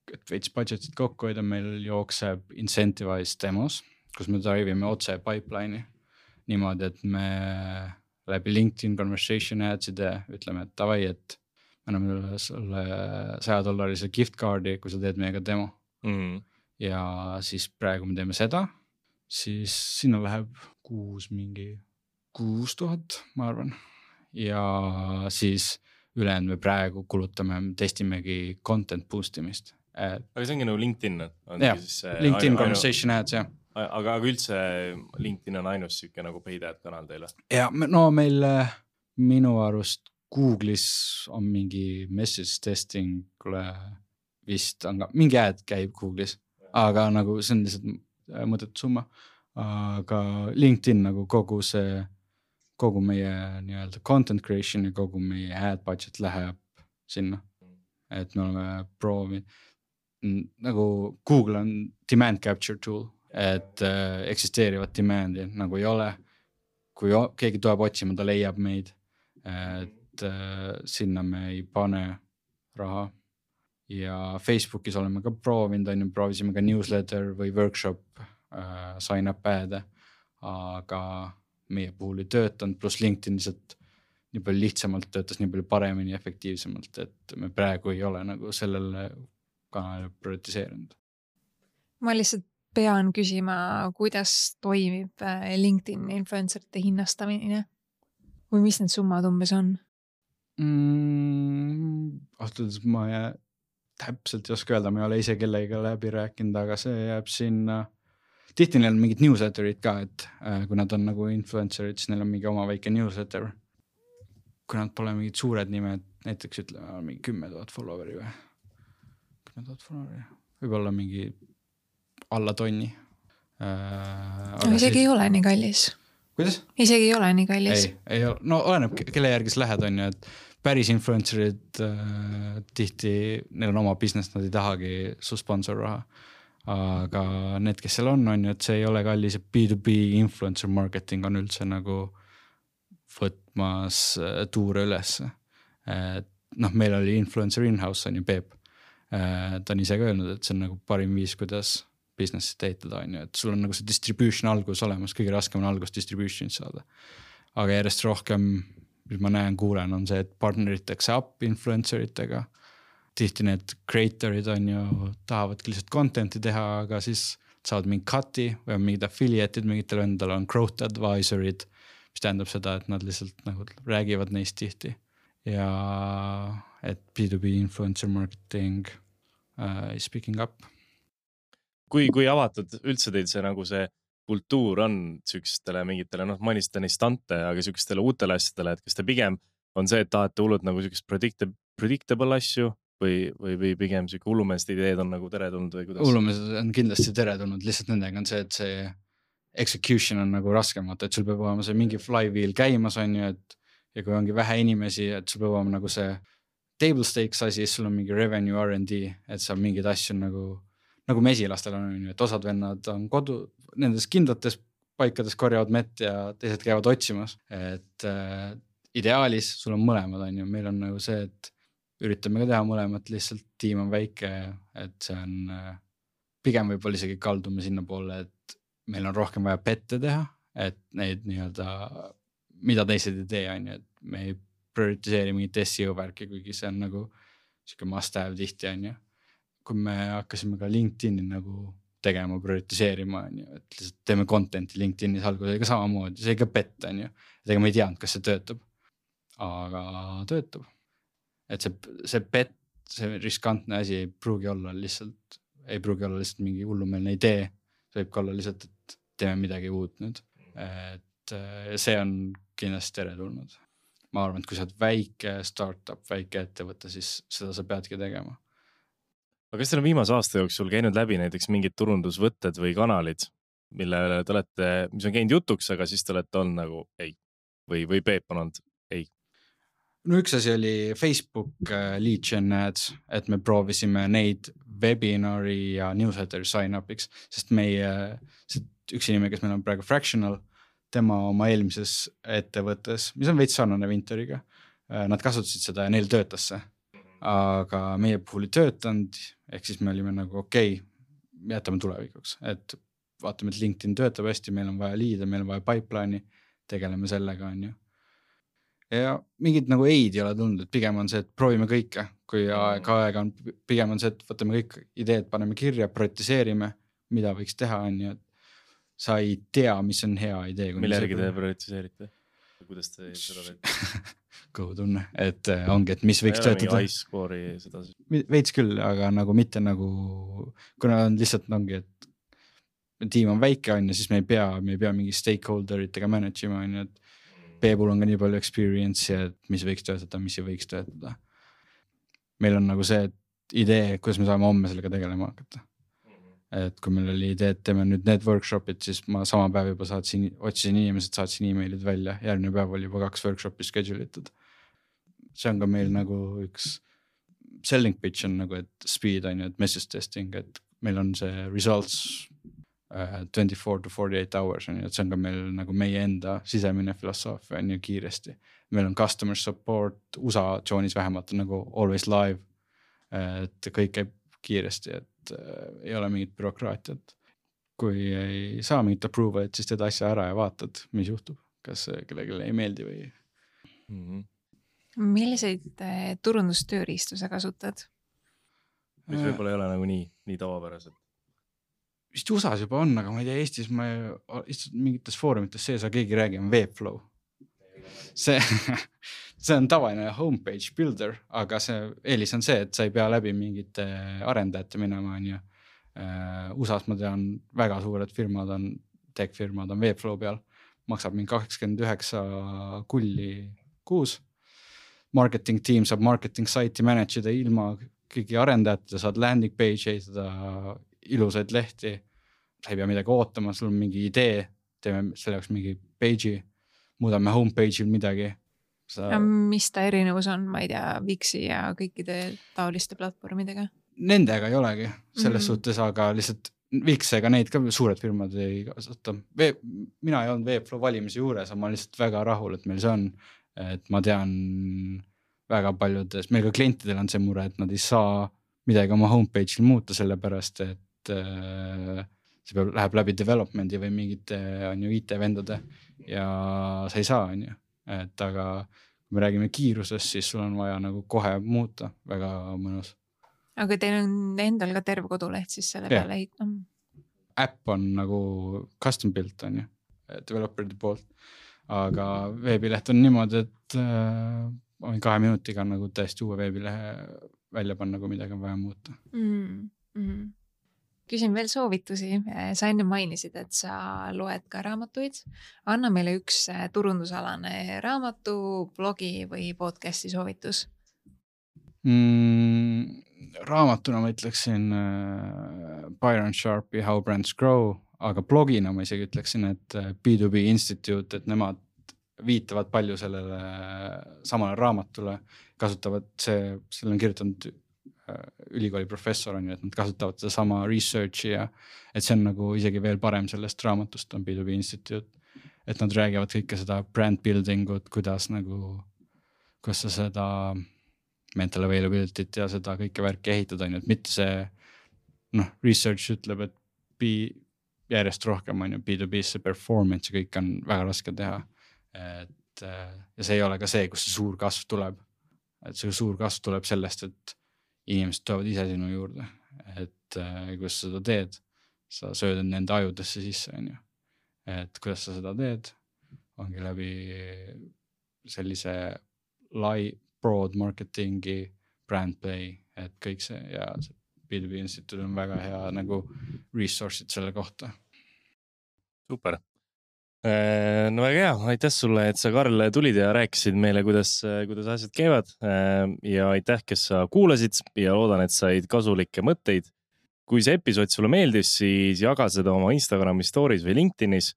et veits budgetit kokku hoida, meil jookseb incentivized demos, kus me drivime otse pipeline'i niimoodi, et me läbi LinkedIn conversation adside ütleme, et davai, et me anname sulle saja dollarise gift card'i, kui sa teed meiega demo. Mm-hmm. Ja siis praegu me teeme seda, siis sinna läheb kuus mingi kuus tuhat, ma arvan. Ja siis ülejäänud me praegu kulutame, testimegi content boost imist. Et... Aga see ongi nagu LinkedIn? On jah, siis, LinkedIn ainu, conversation ads, jah. Aga, aga üldse LinkedIn on ainus siuke nagu paid ad kanal teile? Ja, no meil minu arust Google'is on mingi message testing, kule vist on ka, mingi ad käib Google'is, aga nagu see on lihtsalt mõttetu summa. Aga LinkedIn nagu kogu see, kogu meie nii-öelda content creation ja kogu meie ad budget läheb sinna. Et me oleme proovi, nagu Google on demand capture tool, et äh, eksisteerivat demandi nagu ei ole. Kui o- keegi tuleb otsima, ta leiab meid, et äh, sinna me ei pane raha. Ja Facebookis oleme ka proovinud, on ju, proovisime ka newsletter või workshop äh, sign up ad'e, aga meie puhul ei töötanud, plus LinkedIn lihtsalt nii palju lihtsamalt töötas, nii palju paremini, efektiivsemalt, et me praegu ei ole nagu sellele kanalile prioritiseerinud. Ma lihtsalt pean küsima, kuidas toimib LinkedIn influencerite hinnastamine või mis need summad umbes on? Mm, Astudes ma jää, täpselt ei oska öelda, ma ei ole ise kellega läbi rääkinud, aga see jääb sinna. Tihti neil on mingid newsletterid ka, et kui nad on nagu influencerid, siis neil on mingi oma väike newsletter. Kui nad pole mingid suured nimed, näiteks ütleme mingi kümme tuhat followeri või kümme tuhat followeri, võib-olla mingi alla tonni. Äh, no, isegi siis... ei ole nii kallis. Kuidas? Isegi ei ole nii kallis. Ei, ei ole. No oleneb, kelle järgis lähed on ju, et päris influencerid äh, tihti, neil on oma business, nad ei tahagi su sponsor raha. Aga need, kes seal on, on ju, et see ei ole kallis, B two B influencer marketing on üldse nagu võtmas tuure üles. Et, noh, meil oli influencer in-house on ju Peep. Ta on ise ka öelnud, et see on nagu parim viis, kuidas businessi teetada on ju, et sul on nagu see distribution algus olemas, kõige raskem on algus distribution saada. Aga järjest rohkem, mis ma näen, kuulen, on see, et partneritakse up influenceritega. Tihti need creatorid on ju, tahavadki lihtsalt contenti teha, aga siis saavad mingi cut'i või on mingid affiliate'id, mingitel endal on growth advisorid, mis tähendab seda, et nad lihtsalt nagu räägivad neist tihti. Ja et B two B influencer marketing uh, is picking up. Kui, kui avatud üldse teil see nagu see kultuur on sükstele mingitele, noh, manistan istante, aga sükstele uutele asjadele, et kas te pigem on see, et tahate hullud nagu sükest predictable, predictable asju või, või, või pigem süke hullumeeste ideed on nagu teretulnud või kuidas? Hullumeesed on kindlasti teretulnud, lihtsalt nendega on see, et see execution on nagu raskemata, et sul peab olema see mingi flywheel käimas on ju, et ja kui ongi vähe inimesi, et sul peab olema nagu see table stakes asi, sul on mingi revenue R and D, et sa mingid asju nagu, nagu mesilastel on, et osad vennad on kodu, nendes kindlates paikades korjavad mett ja teised käivad otsimas, et äh, ideaalis sul on mõlemad on ju, meil on nagu see, et üritame ka teha mõlemat, lihtsalt tiim on väike, et see on äh, pigem võib-olla isegi kaldume sinna poole, et meil on rohkem vaja pette teha, et neid nii-öelda, mida teised ei tee on ju, et me ei prioritiseeri mingit S E O värki, kuigi see on nagu siuke must have tihti on ju. Kui me hakkasime ka LinkedIni nagu tegema, prioritiseerima on ju, et lihtsalt teeme contenti LinkedInis alguses ka samamoodi, see ei ka pett on ju, et ega me ei teadnud, kas see töötab, aga töötab. Et see, see pett, see riskantne asi ei pruugi olla lihtsalt, ei pruugi olla lihtsalt mingi hullumeelne idee, see võib ka olla lihtsalt, et teeme midagi uut nüüd, et see on kindlasti teretulnud. Ma arvan, et kui sa oled väike startup, väike ettevõte, siis seda sa peadki tegema. Aga kas teil on viimase aasta jooksul käinud läbi näiteks mingid turundusvõtted või kanalid, mille te olete, mis on käinud jutuks, aga siis te olete olnud nagu ei või, või Peep on olnud ei? No üks asi oli Facebook lead gen ads, et me proovisime neid webinari ja newsletter sign-upiks, sest meie, üks inimene, kes meil on praegu Fractional, tema oma eelmises ettevõttes, mis on veits sarnane Vinteriga, nad kasutasid seda ja neil töötas see. Aga meie puhul ei töötanud, ehk siis me olime nagu okei, okay, jätame tulevikuks, et vaatame, et LinkedIn töötab hästi, meil on vaja liide, meil on vaja pipeline'i, tegeleme sellega on ju. Ja mingid nagu eid ei ole tulnud, et pigem on see, et proovime kõike, kui aeg, aeg on, pigem on see, et võtame kõik ideed, paneme kirja, prioritiseerime, mida võiks teha on ju, et sa ei tea, mis on hea idee. Mille järgi te prioritiseerite? Kuidas te seda teete? Kõhutunne, et ongi, et mis võiks töötada. iScore'i seda siis? Veits küll, aga nagu mitte nagu, kuna on lihtsalt ongi, et tiim on väike on ja siis me ei pea, me ei pea mingi stakeholderitega managema on ju, et Peebul on ka nii palju experience ja et mis võiks töötada, mis ei võiks töötada. Meil on nagu see idee, kuidas me saame homme sellega tegelema hakata. Et kui meil oli idee, et teeme nüüd need workshopid, siis ma sama päev juba saatsin, otsisin inimesed, saatsin emailid välja, järgmine päev oli juba kaks workshopi schedule itud. See on ka meil nagu üks selling pitch on nagu, et speed on ju, et message testing, et meil on see results uh, twenty-four to forty-eight hours on ju, et see on ka meil nagu meie enda sisemine filosoofia on ju kiiresti. Meil on customer support, U S A tsoonis vähemalt on nagu always live, et kõik käib kiiresti, et ei ole mingit bürokraatiat. Kui ei saa mingit approval, et siis teed asja ära ja vaatad, mis juhtub, kas kellelegi ei meeldi või. Mm-hmm. Milliseid turundustööriistu sa kasutad? mis võib-olla ei ole nagu nii, nii tavapärased. Vist U S A-s juba on, aga ma ei tea, Eestis ma istud mingites foorumites sees, aga keegi räägi, on Webflow. See, see on tavaline homepage builder, aga see eelis on see, et sa ei pea läbi mingite arendajate minema. On ju. U S A-s ma tean, väga suured firmad on, tech-firmad on Webflow peal, maksab mingi kakskümmend üheksa kulli kuus. Marketing team saab marketing site'i manageda ilma kõigi arendajate, saad landing page ehitada ilusaid lehti, sa ei pea midagi ootama, sul on mingi idee, teeme selle jaoks mingi page'i, muudame homepage'il midagi. Sa... Mis ta erinevus on, ma ei tea, Wixi ja kõikide taoliste platvormidega? Nendega ei olegi selles mm-hmm. suhtes, aga lihtsalt Wix ega neid ka suured firmad ei kasuta. Mina ei olnud Webflow valimise juures, aga ma lihtsalt väga rahul, et meil see on, et ma tean väga paljudes, meil ka klientidel on see mure, et nad ei saa midagi oma homepage'il muuta sellepärast, et äh, see peab, läheb läbi development'i või mingite on ju I T-vendade ja sa ei saa, on ju. Et aga kui me räägime kiirusest, siis sul on vaja nagu kohe muuta, väga mõnus. Aga teil on endal ka terve koduleht siis selle yeah. peale ehitama? Äpp on nagu custom built, on ju, developeride poolt. Aga veebileht on niimoodi, et äh, kahe minutiga nagu täiesti uue veebilehe välja panna, kui midagi on vaja muuta. Mm, mm. Küsin veel soovitusi. Sa enne mainisid, et sa loed ka raamatuid. Anna meile üks turundusalane raamatu, blogi või podcasti soovitus. Mm, raamatuna ma ütleksin uh, Byron Sharpi How Brands Grow, aga blogina ma isegi ütleksin, et B two B Institute, et nemad viitavad palju sellele samale raamatule, kasutavad see, selle on kirjutanud uh, ülikooli professor, on ju, et nad kasutavad seda sama researchi ja et see on nagu isegi veel parem sellest raamatust on B two B Institute, et nad räägivad kõike seda brand building ut, kuidas nagu, kuidas sa seda mental availability't ja seda kõike värki ehitada, on ju, et mitte see noh, research ütleb, et B, järjest rohkem on ju B two B see performance ja kõik on väga raske teha. Et, ja see ei ole ka see, kus see suur kasv tuleb. Et see suur kasv tuleb sellest, et inimesed tulevad ise sinu juurde. Et kus sa seda teed, sa sööd nende ajudesse sisse, on ju. Et kuidas sa seda teed, ongi läbi sellise lai broad marketingi, brand play, et kõik see ja see B two B Institute on väga hea nagu resource'id selle kohta. Super. No väga hea, aitäh sulle, et sa Karl tulid ja rääkisid meile, kuidas, kuidas asjad käivad ja aitäh, kes sa kuulasid ja loodan, et said kasulikke mõtteid. Kui see episood sulle meeldis, siis jaga seda oma Instagrami stories või LinkedInis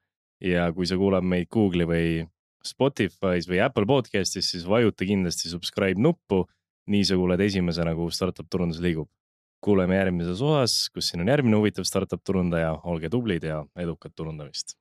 ja kui sa kuulad meid Google'i või Spotify's või Apple Podcastis, siis vajuta kindlasti subscribe nuppu, nii sa kuuled esimesena, kui startup turundus liigub. Kuuleme järgmises osas, kus siin on järgmine huvitav startup turundaja, olge tublid ja edukat turundamist.